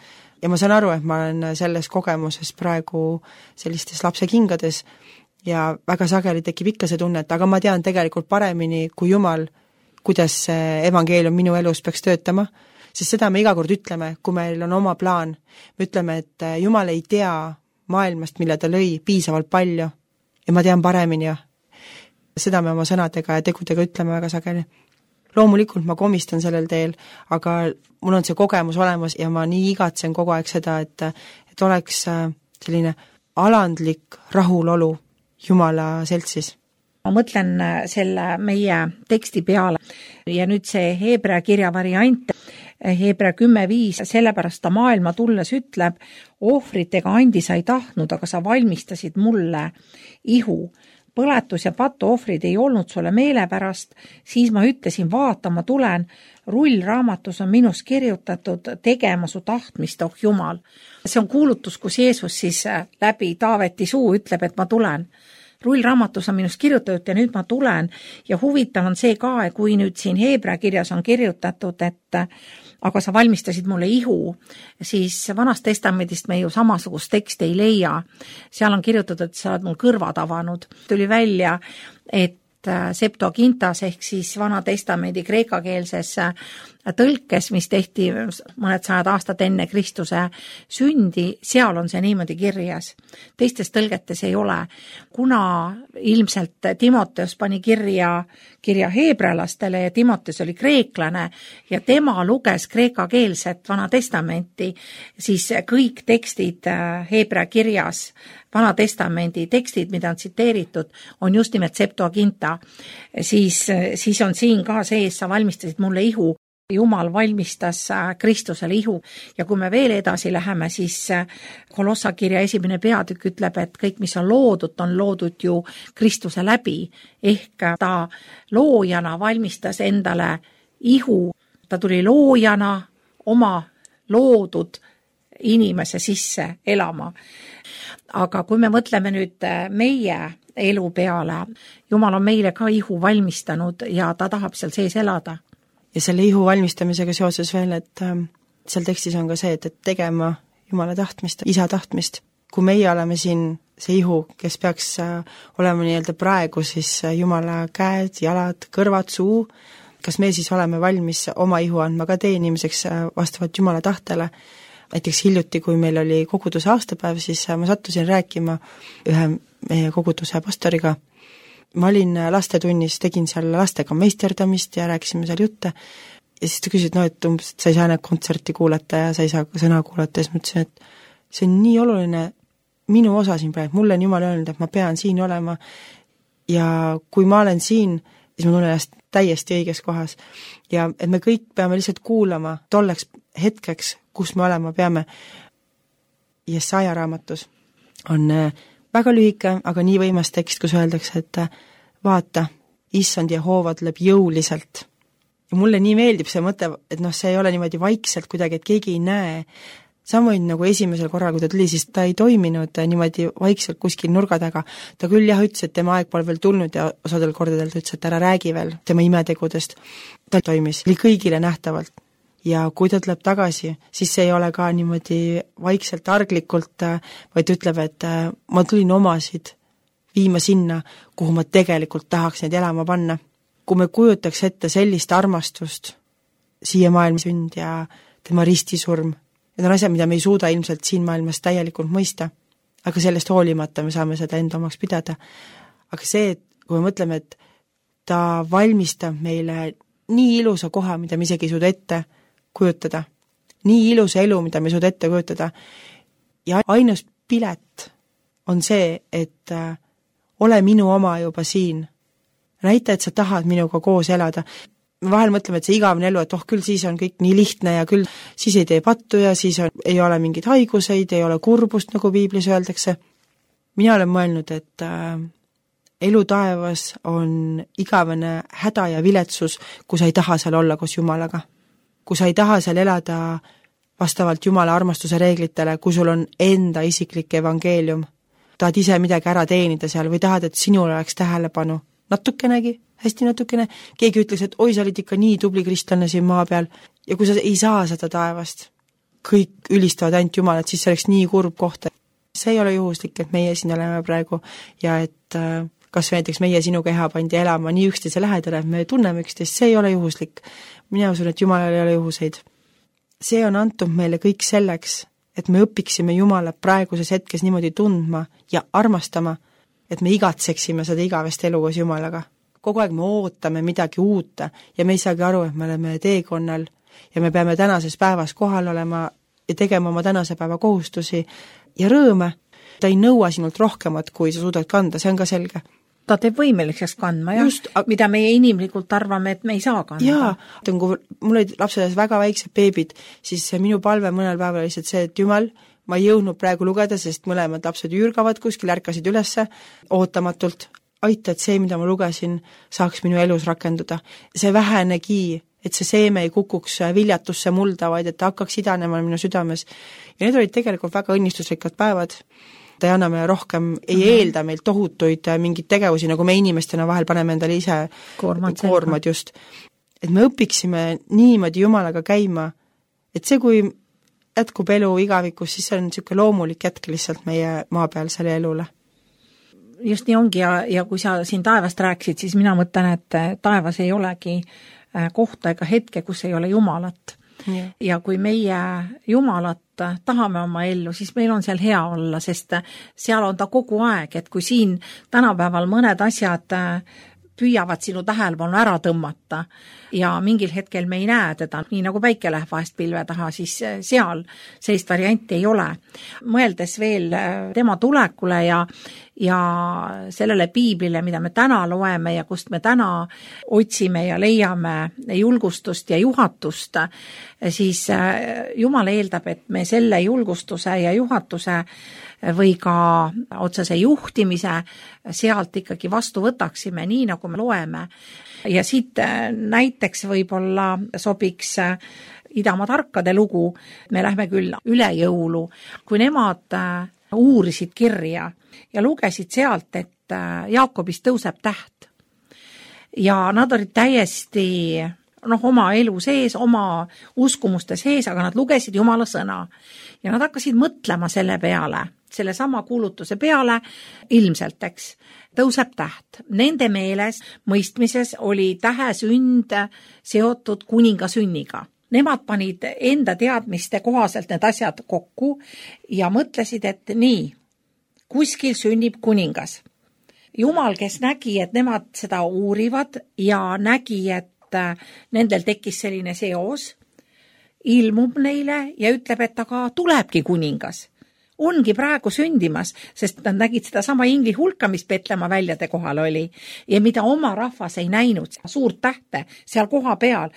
ja ma saan aru, et ma olen selles kogemuses praegu sellistes lapse kingades ja väga sageli tekib ikka see tunne, et aga ma tean tegelikult paremini kui Jumal, kuidas see evangeelium minu elus peaks töötama, sest seda me iga kord ütleme, kui meil on oma plaan. Me ütleme, et Jumal ei tea maailmast, mille ta lõi, piisavalt palju ja ma tean paremini ja seda me oma sõnadega ja tegudega ütleme väga sageli. Loomulikult ma komistan sellel teel, aga mul on see kogemus olemas ja ma nii igatsen kogu aeg seda, et oleks selline alandlik rahulolu Jumala seltsis. Ma mõtlen selle meie teksti peale ja nüüd see Heebrea kirja variant, Heebrea 10.5, sellepärast ta maailma tulles ütleb, ohvritega andi sa ei tahtnud, aga sa valmistasid mulle ihu. Põletus ja patuohvrid ei olnud sulle meelepärast, siis ma ütlesin, vaata, ma tulen, rullraamatus on minus kirjutatud tegema su tahtmist, oh Jumal. See on kuulutus, kus Jeesus siis läbi Taaveti suu ütleb, et ma tulen. Rullraamatus on minust kirjutatud ja nüüd ma tulen ja huvitav on see ka, kui nüüd siin Heebrea kirjas on kirjutatud, et aga sa valmistasid mulle ihu, siis Vanast testamendist me ju samasugust teksti ei leia. Seal on kirjutatud, et sa oled mul kõrvad avanud. Tuli välja, et Septuagintas ehk siis Vana testamendi kreekakeelses tõlkes, mis tehti mõned sajad aastad enne Kristuse sündi, seal on see niimoodi kirjas. Teistes tõlgetes ei ole. Kuna ilmselt Timoteus pani kirja heebrealastele ja Timoteus oli kreeklane ja tema luges kreekakeelset Vana testamenti, siis kõik tekstid Heebrea kirjas, Vana testamendi tekstid, mida on tsiteeritud, on just nimelt Septuaginta. Siis on siin ka sees, sa valmistasid mulle ihu. Jumal valmistas Kristusele ihu ja kui me veel edasi läheme, siis Kolossa kirja 1. peatükk ütleb, et kõik, mis on loodud ju Kristuse läbi, ehk ta loojana valmistas endale ihu, ta tuli loojana oma loodud inimese sisse elama. Aga kui me mõtleme nüüd meie elu peale, Jumal on meile ka ihu valmistanud ja ta tahab seal sees elada. Ja selle ihu valmistamisega seoses veel, et seal tekstis on ka see, et tegema Jumala tahtmist, isa tahtmist. Kui meie oleme siin see ihu, kes peaks olema nii-öelda praegu, siis Jumala käed, jalad, kõrvad, suu, kas me siis oleme valmis oma ihu andma ka teenimiseks vastavalt Jumala tahtele. Näiteks hiljuti, kui meil oli koguduse aastapäev, siis ma sattusin rääkima ühe meie koguduse pastoriga. Ma olin lastetunnis, tegin seal lastega meisterdamist ja rääkisime seal jutte ja siis ta küsis, et umbes, et sa ei saa kontserti kuulata ja sa ei saa sõna kuulata ja siis mõtlesin, et see on nii oluline minu osa siin praegu, mulle on Jumal öelnud, et ma pean siin olema ja kui ma olen siin, siis ma tunnen ennast täiesti õiges kohas ja et me kõik peame lihtsalt kuulama tolleks hetkeks, kus me olema peame. Jesaja raamatus on väga lühike, aga nii võimas tekst, kus öeldakse, et vaata, issand Jehova tuleb jõuliselt. Ja mulle nii meeldib see mõte, et see ei ole niimoodi vaikselt kuidagi, et keegi ei näe. Samuti nagu esimesel korral, kui ta tuli, siis ta ei toiminud niimoodi vaikselt kuskil nurga taga. Ta küll ütles, et tema aeg pole veel tulnud ja osadel kordadel ta ütles, et ära räägi veel tema imetegudest. Ta toimis, oli kõigile nähtavalt. Ja kui ta tuleb tagasi, siis see ei ole ka niimoodi vaikselt arglikult, vaid ütleb, et ma tulin omasid viima sinna, kuhu ma tegelikult tahaks neid elama panna. Kui me kujutaks ette sellist armastust, siia maailma sünd ja tema ristisurm, need on asjad, mida me ei suuda ilmselt siin maailmas täielikult mõista, aga sellest hoolimata me saame seda enda omaks pidada. Aga see, et kui me mõtleme, et ta valmistab meile nii ilusa koha, mida me isegi ei suuda ette kujutada. Nii ilusa elu, mida me suuda ette kujutada. Ja ainus pilet on see, et ole minu oma juba siin. Näita, et sa tahad minuga koos elada. Me vahel mõtleme, et see igavene elu, et küll siis on kõik nii lihtne ja küll siis ei tee pattu ja siis ei ole mingeid haiguseid, ei ole kurbust, nagu piiblis öeldakse. Mina olen mõelnud, et elu taevas on igavene häda ja viletsus, kui sa ei taha seal olla koos Jumalaga. Kui sa ei taha seal elada vastavalt Jumala armastuse reeglitele, kui sul on enda isiklik evangeelium, tahad ise midagi ära teenida seal või tahad, et sinul oleks tähelepanu, natukenegi, hästi natukene, keegi ütles, et oi, sa olid ikka nii tubli kristlane siin maa peal ja kui sa ei saa seda taevast, kõik ülistavad ainult Jumalat, siis see oleks nii kurb koht. See ei ole juhuslik, et meie siin oleme praegu ja et kas näiteks meie sinuga Eha pandi elama nii üksteise lähedale, et me tunneme üksteist, see ei ole juhuslik. Mina usun, et Jumalal ei ole juhuseid. See on antud meile kõik selleks, et me õpiksime Jumalat praeguses hetkes niimoodi tundma ja armastama, et me igatseksime seda igavest elu koos Jumalaga. Kogu aeg me ootame midagi uut ja me ei saagi aru, et me oleme teekonnal ja me peame tänases päevas kohal olema ja tegema oma tänase päeva kohustusi ja rõõme. Ta ei nõua sinult rohkemat, kui sa suudad kanda, see on ka selge. Ta teeb võimeliseks kandma, Just, mida meie inimlikult arvame, et me ei saa kanda. Jaa, kui mul olid lapsedes väga väiksed beebid, siis minu palve mõnel päeval lihtsalt see, et Jumal, ma ei jõudnud praegu lugeda, sest mõlemad lapsed ürgavad kuskil, ärkasid ülesse ootamatult. Aita, et see, mida ma lugesin, saaks minu elus rakenduda. See vähenegi, et see seeme ei kukuks viljatusse mulda, vaid et ta hakkaks idanema minu südames. Ja need olid tegelikult väga õnnistusrikkad päevad. Ta ei anna meile rohkem, ei eelda meilt tohutuid mingeid tegevusi, nagu me inimestena vahel paneme endale ise koormad just. Et me õpiksime niimoodi Jumalaga käima, et see, kui jätkub elu igavikus, siis see on niisugune loomulik jätk lihtsalt meie maa peal selle elule. Just nii ongi ja kui sa siin taevast rääkisid, siis mina mõtlen, et taevas ei olegi kohta ega hetke, kus ei ole Jumalat. Ja kui meie Jumalat tahame oma ellu, siis meil on seal hea olla, sest seal on ta kogu aeg, et kui siin tänapäeval mõned asjad püüavad sinu tähelepanu ära tõmmata ja mingil hetkel me ei näe teda, nii nagu päike läheb vahest pilve taha, siis seal sellist varianti ei ole. Mõeldes veel tema tulekule ja sellele piiblile, mida me täna loeme ja kust me täna otsime ja leiame julgustust ja juhatust, siis Jumal eeldab, et me selle julgustuse ja juhatuse või ka otsese juhtimise sealt ikkagi vastu võtaksime, nii nagu me loeme. Ja siit näiteks võib-olla sobiks Idamaa tarkade lugu, me lähme küll üle jõulu, kui nemad uurisid kirja ja lugesid sealt, et Jaakobist tõuseb täht. Ja nad olid täiesti oma elu sees, oma uskumuste sees, aga nad lugesid Jumala sõna. Ja nad hakkasid mõtlema selle peale, selle sama kuulutuse peale, ilmselt, eks, tõuseb täht. Nende meeles, mõistmises oli tähe sünd seotud kuninga sünniga. Nemad panid enda teadmiste kohaselt need asjad kokku ja mõtlesid, et nii, kuskil sünnib kuningas. Jumal, kes nägi, et nemad seda uurivad ja nägi, et nendel tekkis selline seos, ilmub neile ja ütleb, et aga tulebki kuningas. Ongi praegu sündimas, sest nad nägid seda sama ingli hulka, mis Petlemma väljade kohal oli ja mida oma rahvas ei näinud, suurt tähte seal koha peal.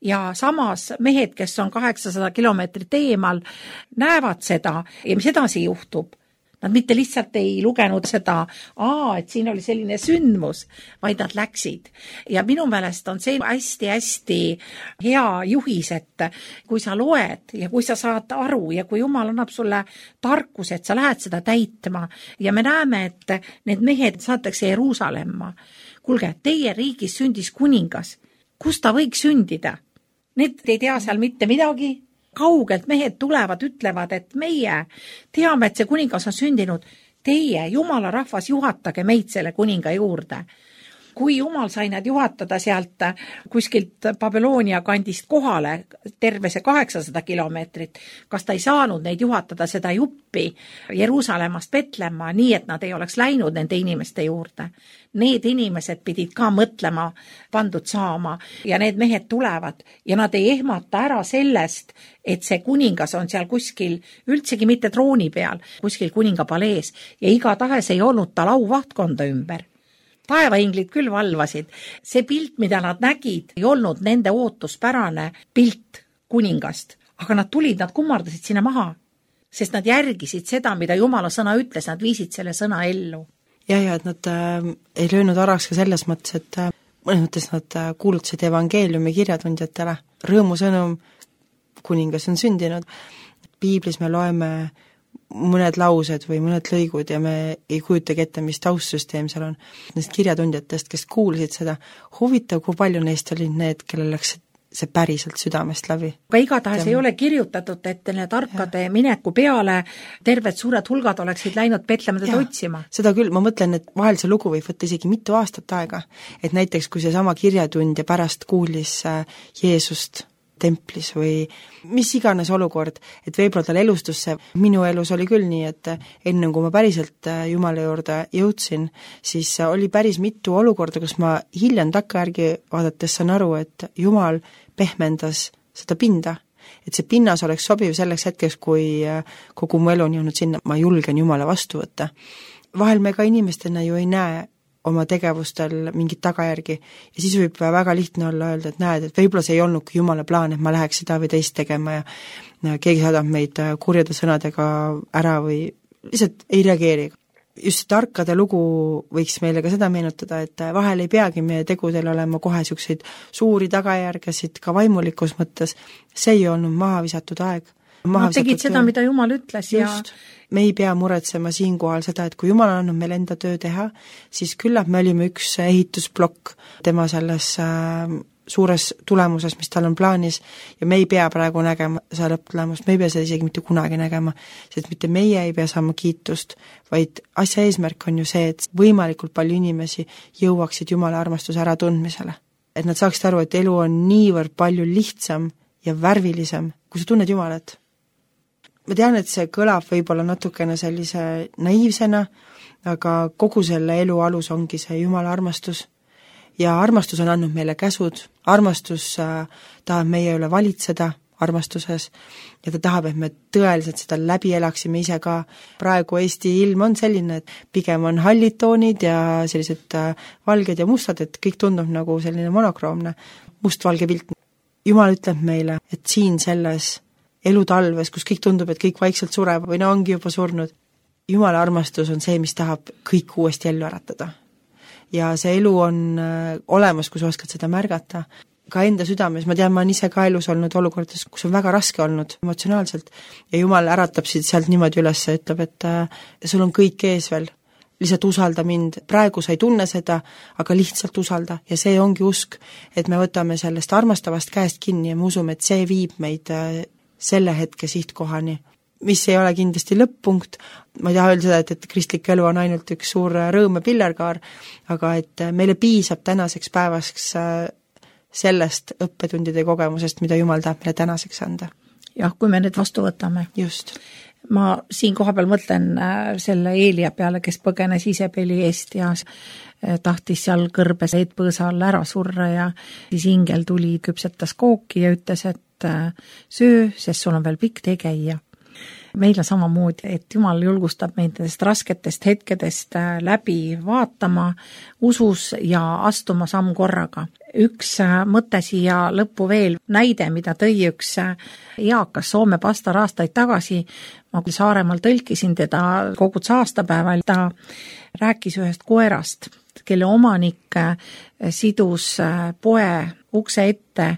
Ja samas mehed, kes on 800 kilomeetrit eemal, näevad seda ja mis edasi juhtub. Nad mitte lihtsalt ei lugenud seda, et siin oli selline sündmus, vaid nad läksid. Ja minu meelest on see hästi-hästi hea juhis, et kui sa loed ja kui sa saad aru ja kui Jumal annab sulle tarkuse, et sa lähed seda täitma ja me näeme, et need mehed saatakse Jeruusalemma. Kuulge, teie riigis sündis kuningas. Kus ta võiks sündida? Need ei tea seal mitte midagi. Kaugelt mehed tulevad, ütlevad, et meie teame, et see kuningas on sündinud. Teie, Jumala rahvas, juhatage meid selle kuninga juurde. Kui Jumal sai nad juhatada sealt kuskilt Babyloonia kandist kohale, terve see 800 kilomeetrit, kas ta ei saanud neid juhatada seda juppi Jeruusalemmast Petlemma, nii et nad ei oleks läinud nende inimeste juurde? Need inimesed pidid ka mõtlema pandud saama ja need mehed tulevad ja nad ei ehmata ära sellest, et see kuningas on seal kuskil üldsegi mitte trooni peal, kuskil kuninga palees ja igatahes ei olnud tal auvahtkonna ümber. Taevainglid küll valvasid. See pilt, mida nad nägid, ei olnud nende ootuspärane pilt kuningast, aga nad tulid, nad kummardasid sinna maha, sest nad järgisid seda, mida Jumala sõna ütles, nad viisid selle sõna ellu. Ja, et nad ei löönud araks ka selles mõttes, et mõnes mõttes nad kuulutasid evangeeliumi kirjatundjatele. Rõõmusõnum, kuningas on sündinud. Piiblis me loeme mõned laused või mõned lõigud ja me ei kujutagi ette, mis taustsüsteem seal on. Neist kirjatundjatest, kes kuulsid seda, huvitav, kui palju neist olid need, kellel läks see päriselt südamest läbi. Aga igatahes ei ole kirjutatud, et need tarkade mineku peale terved suured hulgad oleksid läinud Petlemedad otsima. Seda küll, ma mõtlen, et vahel see lugu võib võtta isegi mitu aastat aega. Et näiteks, kui see sama kirjatundja pärast kuulis Jeesust templis või mis iganes olukord, et võib-olla tal elustus see, minu elus oli küll nii, et enne kui ma päriselt Jumala juurde jõudsin, siis oli päris mitu olukorda, kus ma hiljem takkajärgi vaadates saan aru, et Jumal pehmendas seda pinda, et see pinnas oleks sobiv selleks hetkeks, kui kogu mu elu on jõudnud sinna, ma julgen Jumala vastu võtta. Vahel me ka inimestena ju ei näe oma tegevustel mingit tagajärgi ja siis võib väga lihtne olla öelda, et näed, et võib-olla see ei olnudki Jumala plaan, et ma läheks seda või teist tegema ja keegi saadab meid kurjade sõnadega ära või lihtsalt ei reageeri. Just tarkade lugu võiks meile ka seda meenutada, et vahel ei peagi meie tegudel olema kohe niisuguseid suuri tagajärgesid ka vaimulikus mõttes, see ei olnud maha visatud aeg. Nad tegid seda, mida Jumal ütles ja me ei pea muretsema siinkohal seda, et kui Jumal on andnud meil enda töö teha, siis küllap me olime üks ehitusplokk tema selles suures tulemuses, mis tal on plaanis ja me ei pea praegu nägema seda lõpptulemust, me ei pea seda isegi mitte kunagi nägema, sest mitte meie ei pea saama kiitust, vaid asja eesmärk on ju see, et võimalikult palju inimesi jõuaksid Jumala armastuse äratundmisele. Et nad saaksid aru, et elu on niivõrd palju lihtsam ja värvilisem, kui sa tunned Jumalat. Ma tean, et see kõlab võib-olla natukene sellise naiivsena, aga kogu selle elu alus ongi see Jumala armastus. Ja armastus on andnud meile käsud, armastus tahab meie üle valitseda armastuses ja ta tahab, et me tõeliselt seda läbi elaksime ise ka. Praegu Eesti ilm on selline, et pigem on hallid toonid ja sellised valged ja mustad, et kõik tundub nagu selline monokroomne, must-valge pilt. Jumal ütleb meile, et siin selles elutalves, kus kõik tundub, et kõik vaikselt sureb või no ongi juba surnud. Jumala armastus on see, mis tahab kõik uuesti ellu äratada. Ja see elu on olemas, kui sa oskad seda märgata. Ka enda südames, ma tean, ma olen ise ka elus olnud olukordades, kus on väga raske olnud emotsionaalselt ja Jumal äratab sealt niimoodi üles ja ütleb, et sul on kõik ees veel, lihtsalt usalda mind, praegu sa ei tunne seda, aga lihtsalt usalda ja see ongi usk, et me võtame sellest armastavast käest kinni ja me usume, et see viib meid selle hetke sihtkohani, mis ei ole kindlasti lõpp-punkt, ma ei taha öelda seda, et kristlik elu on ainult üks suur rõõm ja pillerkaar, aga et meile piisab tänaseks päevaks sellest õppetundide kogemusest, mida Jumal tahab meile tänaseks anda. Jah, kui me need vastu võtame. Just. Ma siin koha peal mõtlen selle Eelia peale, kes põgenes Isebeli eest ja tahtis seal kõrbes eetpõõsa all ära surra ja siis ingel tuli, küpsetas kooki ja ütles, et söö, sest sul on veel pikk tee käia. Meil on samamoodi, et Jumal julgustab meid nendest rasketest hetkedest läbi vaatama usus ja astuma samm korraga. Üks mõte siia lõppu veel, näide, mida tõi üks eakas Soome pastor aastaid tagasi, ma küll Saaremaal tõlkisin teda koguduse aastapäeval, ta rääkis ühest koerast, kelle omanik sidus poe ukse ette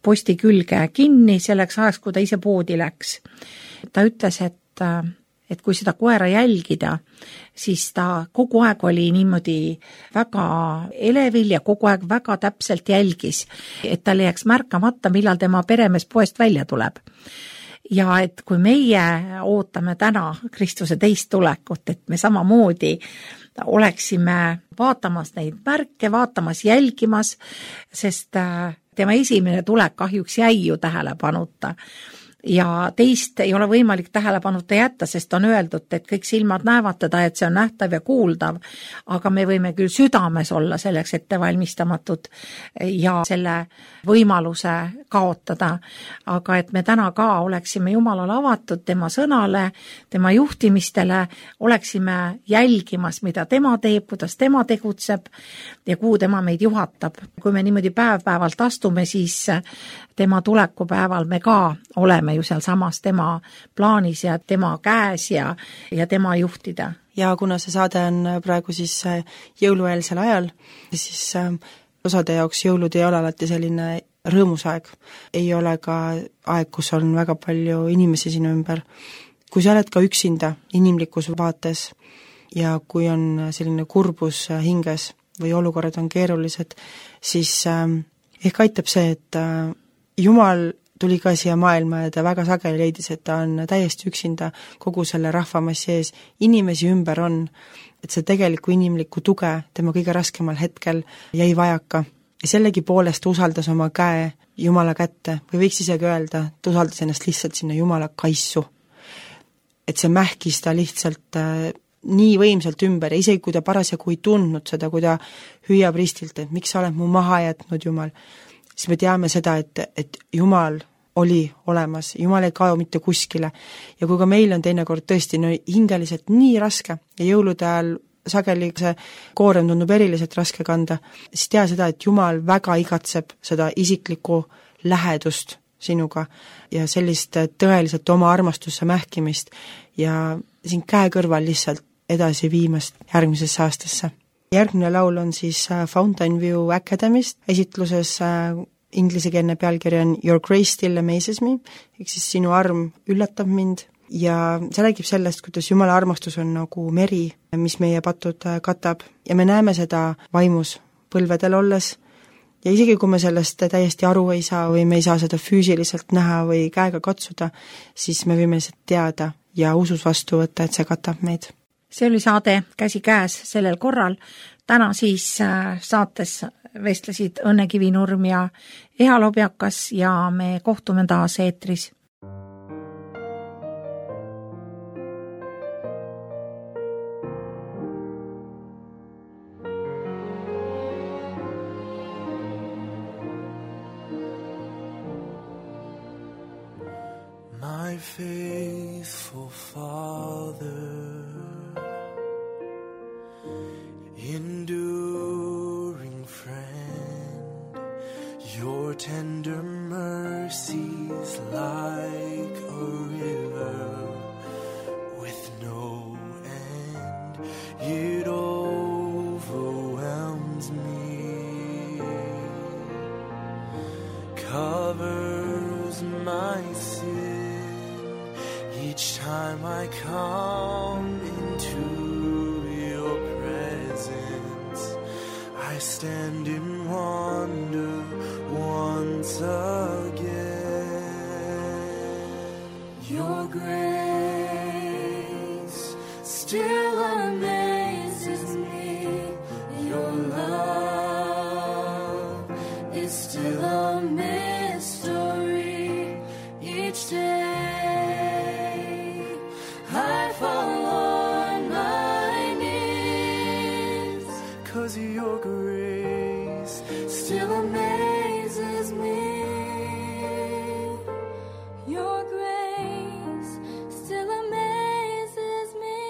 posti külge kinni selleks ajaks, kui ta ise poodi läks. Ta ütles, et kui seda koera jälgida, siis ta kogu aeg oli niimoodi väga elevil ja kogu aeg väga täpselt jälgis, et tal jääks märkamata, millal tema peremees poest välja tuleb. Ja et kui meie ootame täna Kristuse teist tulekut, et me samamoodi oleksime vaatamas neid märke, vaatamas, jälgimas, sest tema esimene tulek kahjuks jäi ju tähelepanuta. Ja teist ei ole võimalik tähelepanuta jätta, sest on öeldud, et kõik silmad näevad teda, et see on nähtav ja kuuldav, aga me võime küll südames olla selleks ettevalmistamatud ja selle võimaluse kaotada, aga et me täna ka oleksime Jumalale avatud tema sõnale, tema juhtimistele, oleksime jälgimas, mida tema teeb, kuidas tema tegutseb ja kuhu tema meid juhatab. Kui me niimoodi päev-päevalt astume, siis tema tulekupäeval me ka oleme ju seal samas tema plaanis ja tema käes ja tema juhtida. Ja kuna see saade on praegu siis jõulueelsel ajal, siis osade jaoks jõulud ei ole alati selline rõõmus aeg. Ei ole ka aeg, kus on väga palju inimesi sinu ümber. Kui sa oled ka üksinda inimlikus vaates ja kui on selline kurbus hinges või olukorrad on keerulised, siis ehk aitab see, et Jumal tuli ka siia maailma ja ta väga sageli leidis, et ta on täiesti üksinda kogu selle rahvamassi ees, inimesi ümber on, et see tegelikku inimlikku tuge tema kõige raskemal hetkel jäi vajaka ja sellegi poolest usaldas oma käe Jumala kätte või võiks isegi öelda, ta usaldas ennast lihtsalt sinna Jumala kaissu. Et see mähkis ta lihtsalt nii võimsalt ümber ja isegi kui ta parasjagu ei tundnud seda, kui ta hüüab ristilt, et miks sa oled mu maha jätnud, Jumal, siis me teame seda, et Jumal oli olemas, Jumal ei kao mitte kuskile ja kui ka meil on teinekord tõesti hingeliselt nii raske ja jõulude ajal sageli see koorem tundub eriliselt raske kanda, siis tea seda, et Jumal väga igatseb seda isiklikku lähedust sinuga ja sellist tõeliselt oma armastusse mähkimist ja siin käe kõrval lihtsalt edasi viimast järgmisesse aastasse. Järgmine laul on siis Fountain View Academy'st, esitluses ingliskeelne pealkiri on Your Grace Still Amazes Me, ehk siis sinu arm üllatab mind ja see räägib sellest, kuidas Jumala armastus on nagu meri, mis meie patud katab ja me näeme seda vaimus põlvedel olles ja isegi kui me sellest täiesti aru ei saa või me ei saa seda füüsiliselt näha või käega katsuda, siis me võime seda teada ja usus vastu võtta, et see katab meid. See oli saade Käsi käes sellel korral. Täna siis saates vestlesid Õnne Kivinurm ja Eha Lobjakas ja me kohtume taas eetris. My faithful Father, enduring friend, your tender mercies like a river with no end, it overwhelms me, covers my sin each time I come into your presence. I stand in wonder once again. Your grace still amazes me. Your love is still a mystery each day. I fall on my knees, 'cause your grace still amazes me. Your grace still amazes me.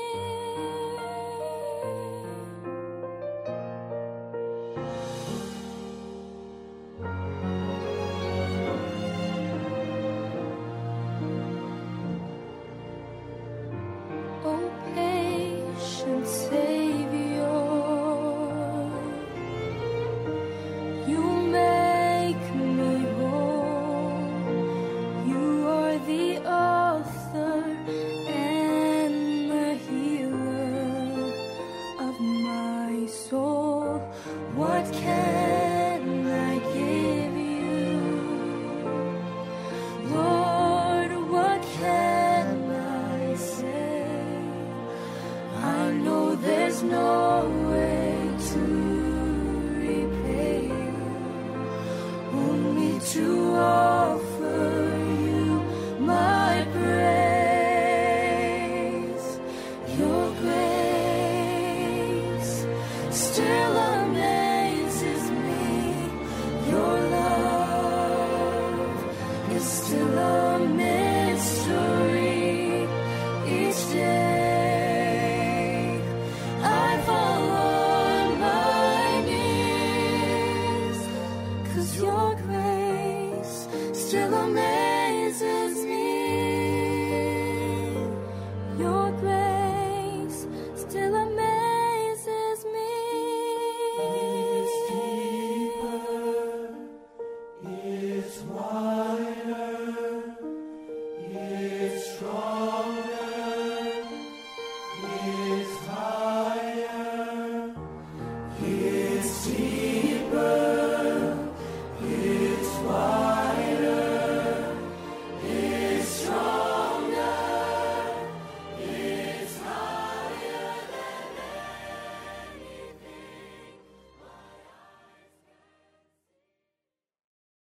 Oh, patient Savior, you make me whole. You are the author and the healer of my soul. What can I give you, Lord? What can I say? I know there's no way to repay you, only to offer you my praise. Your grace still amazes me. Your love is still a mystery each day. I fall on my knees, 'cause your grace still amazes me.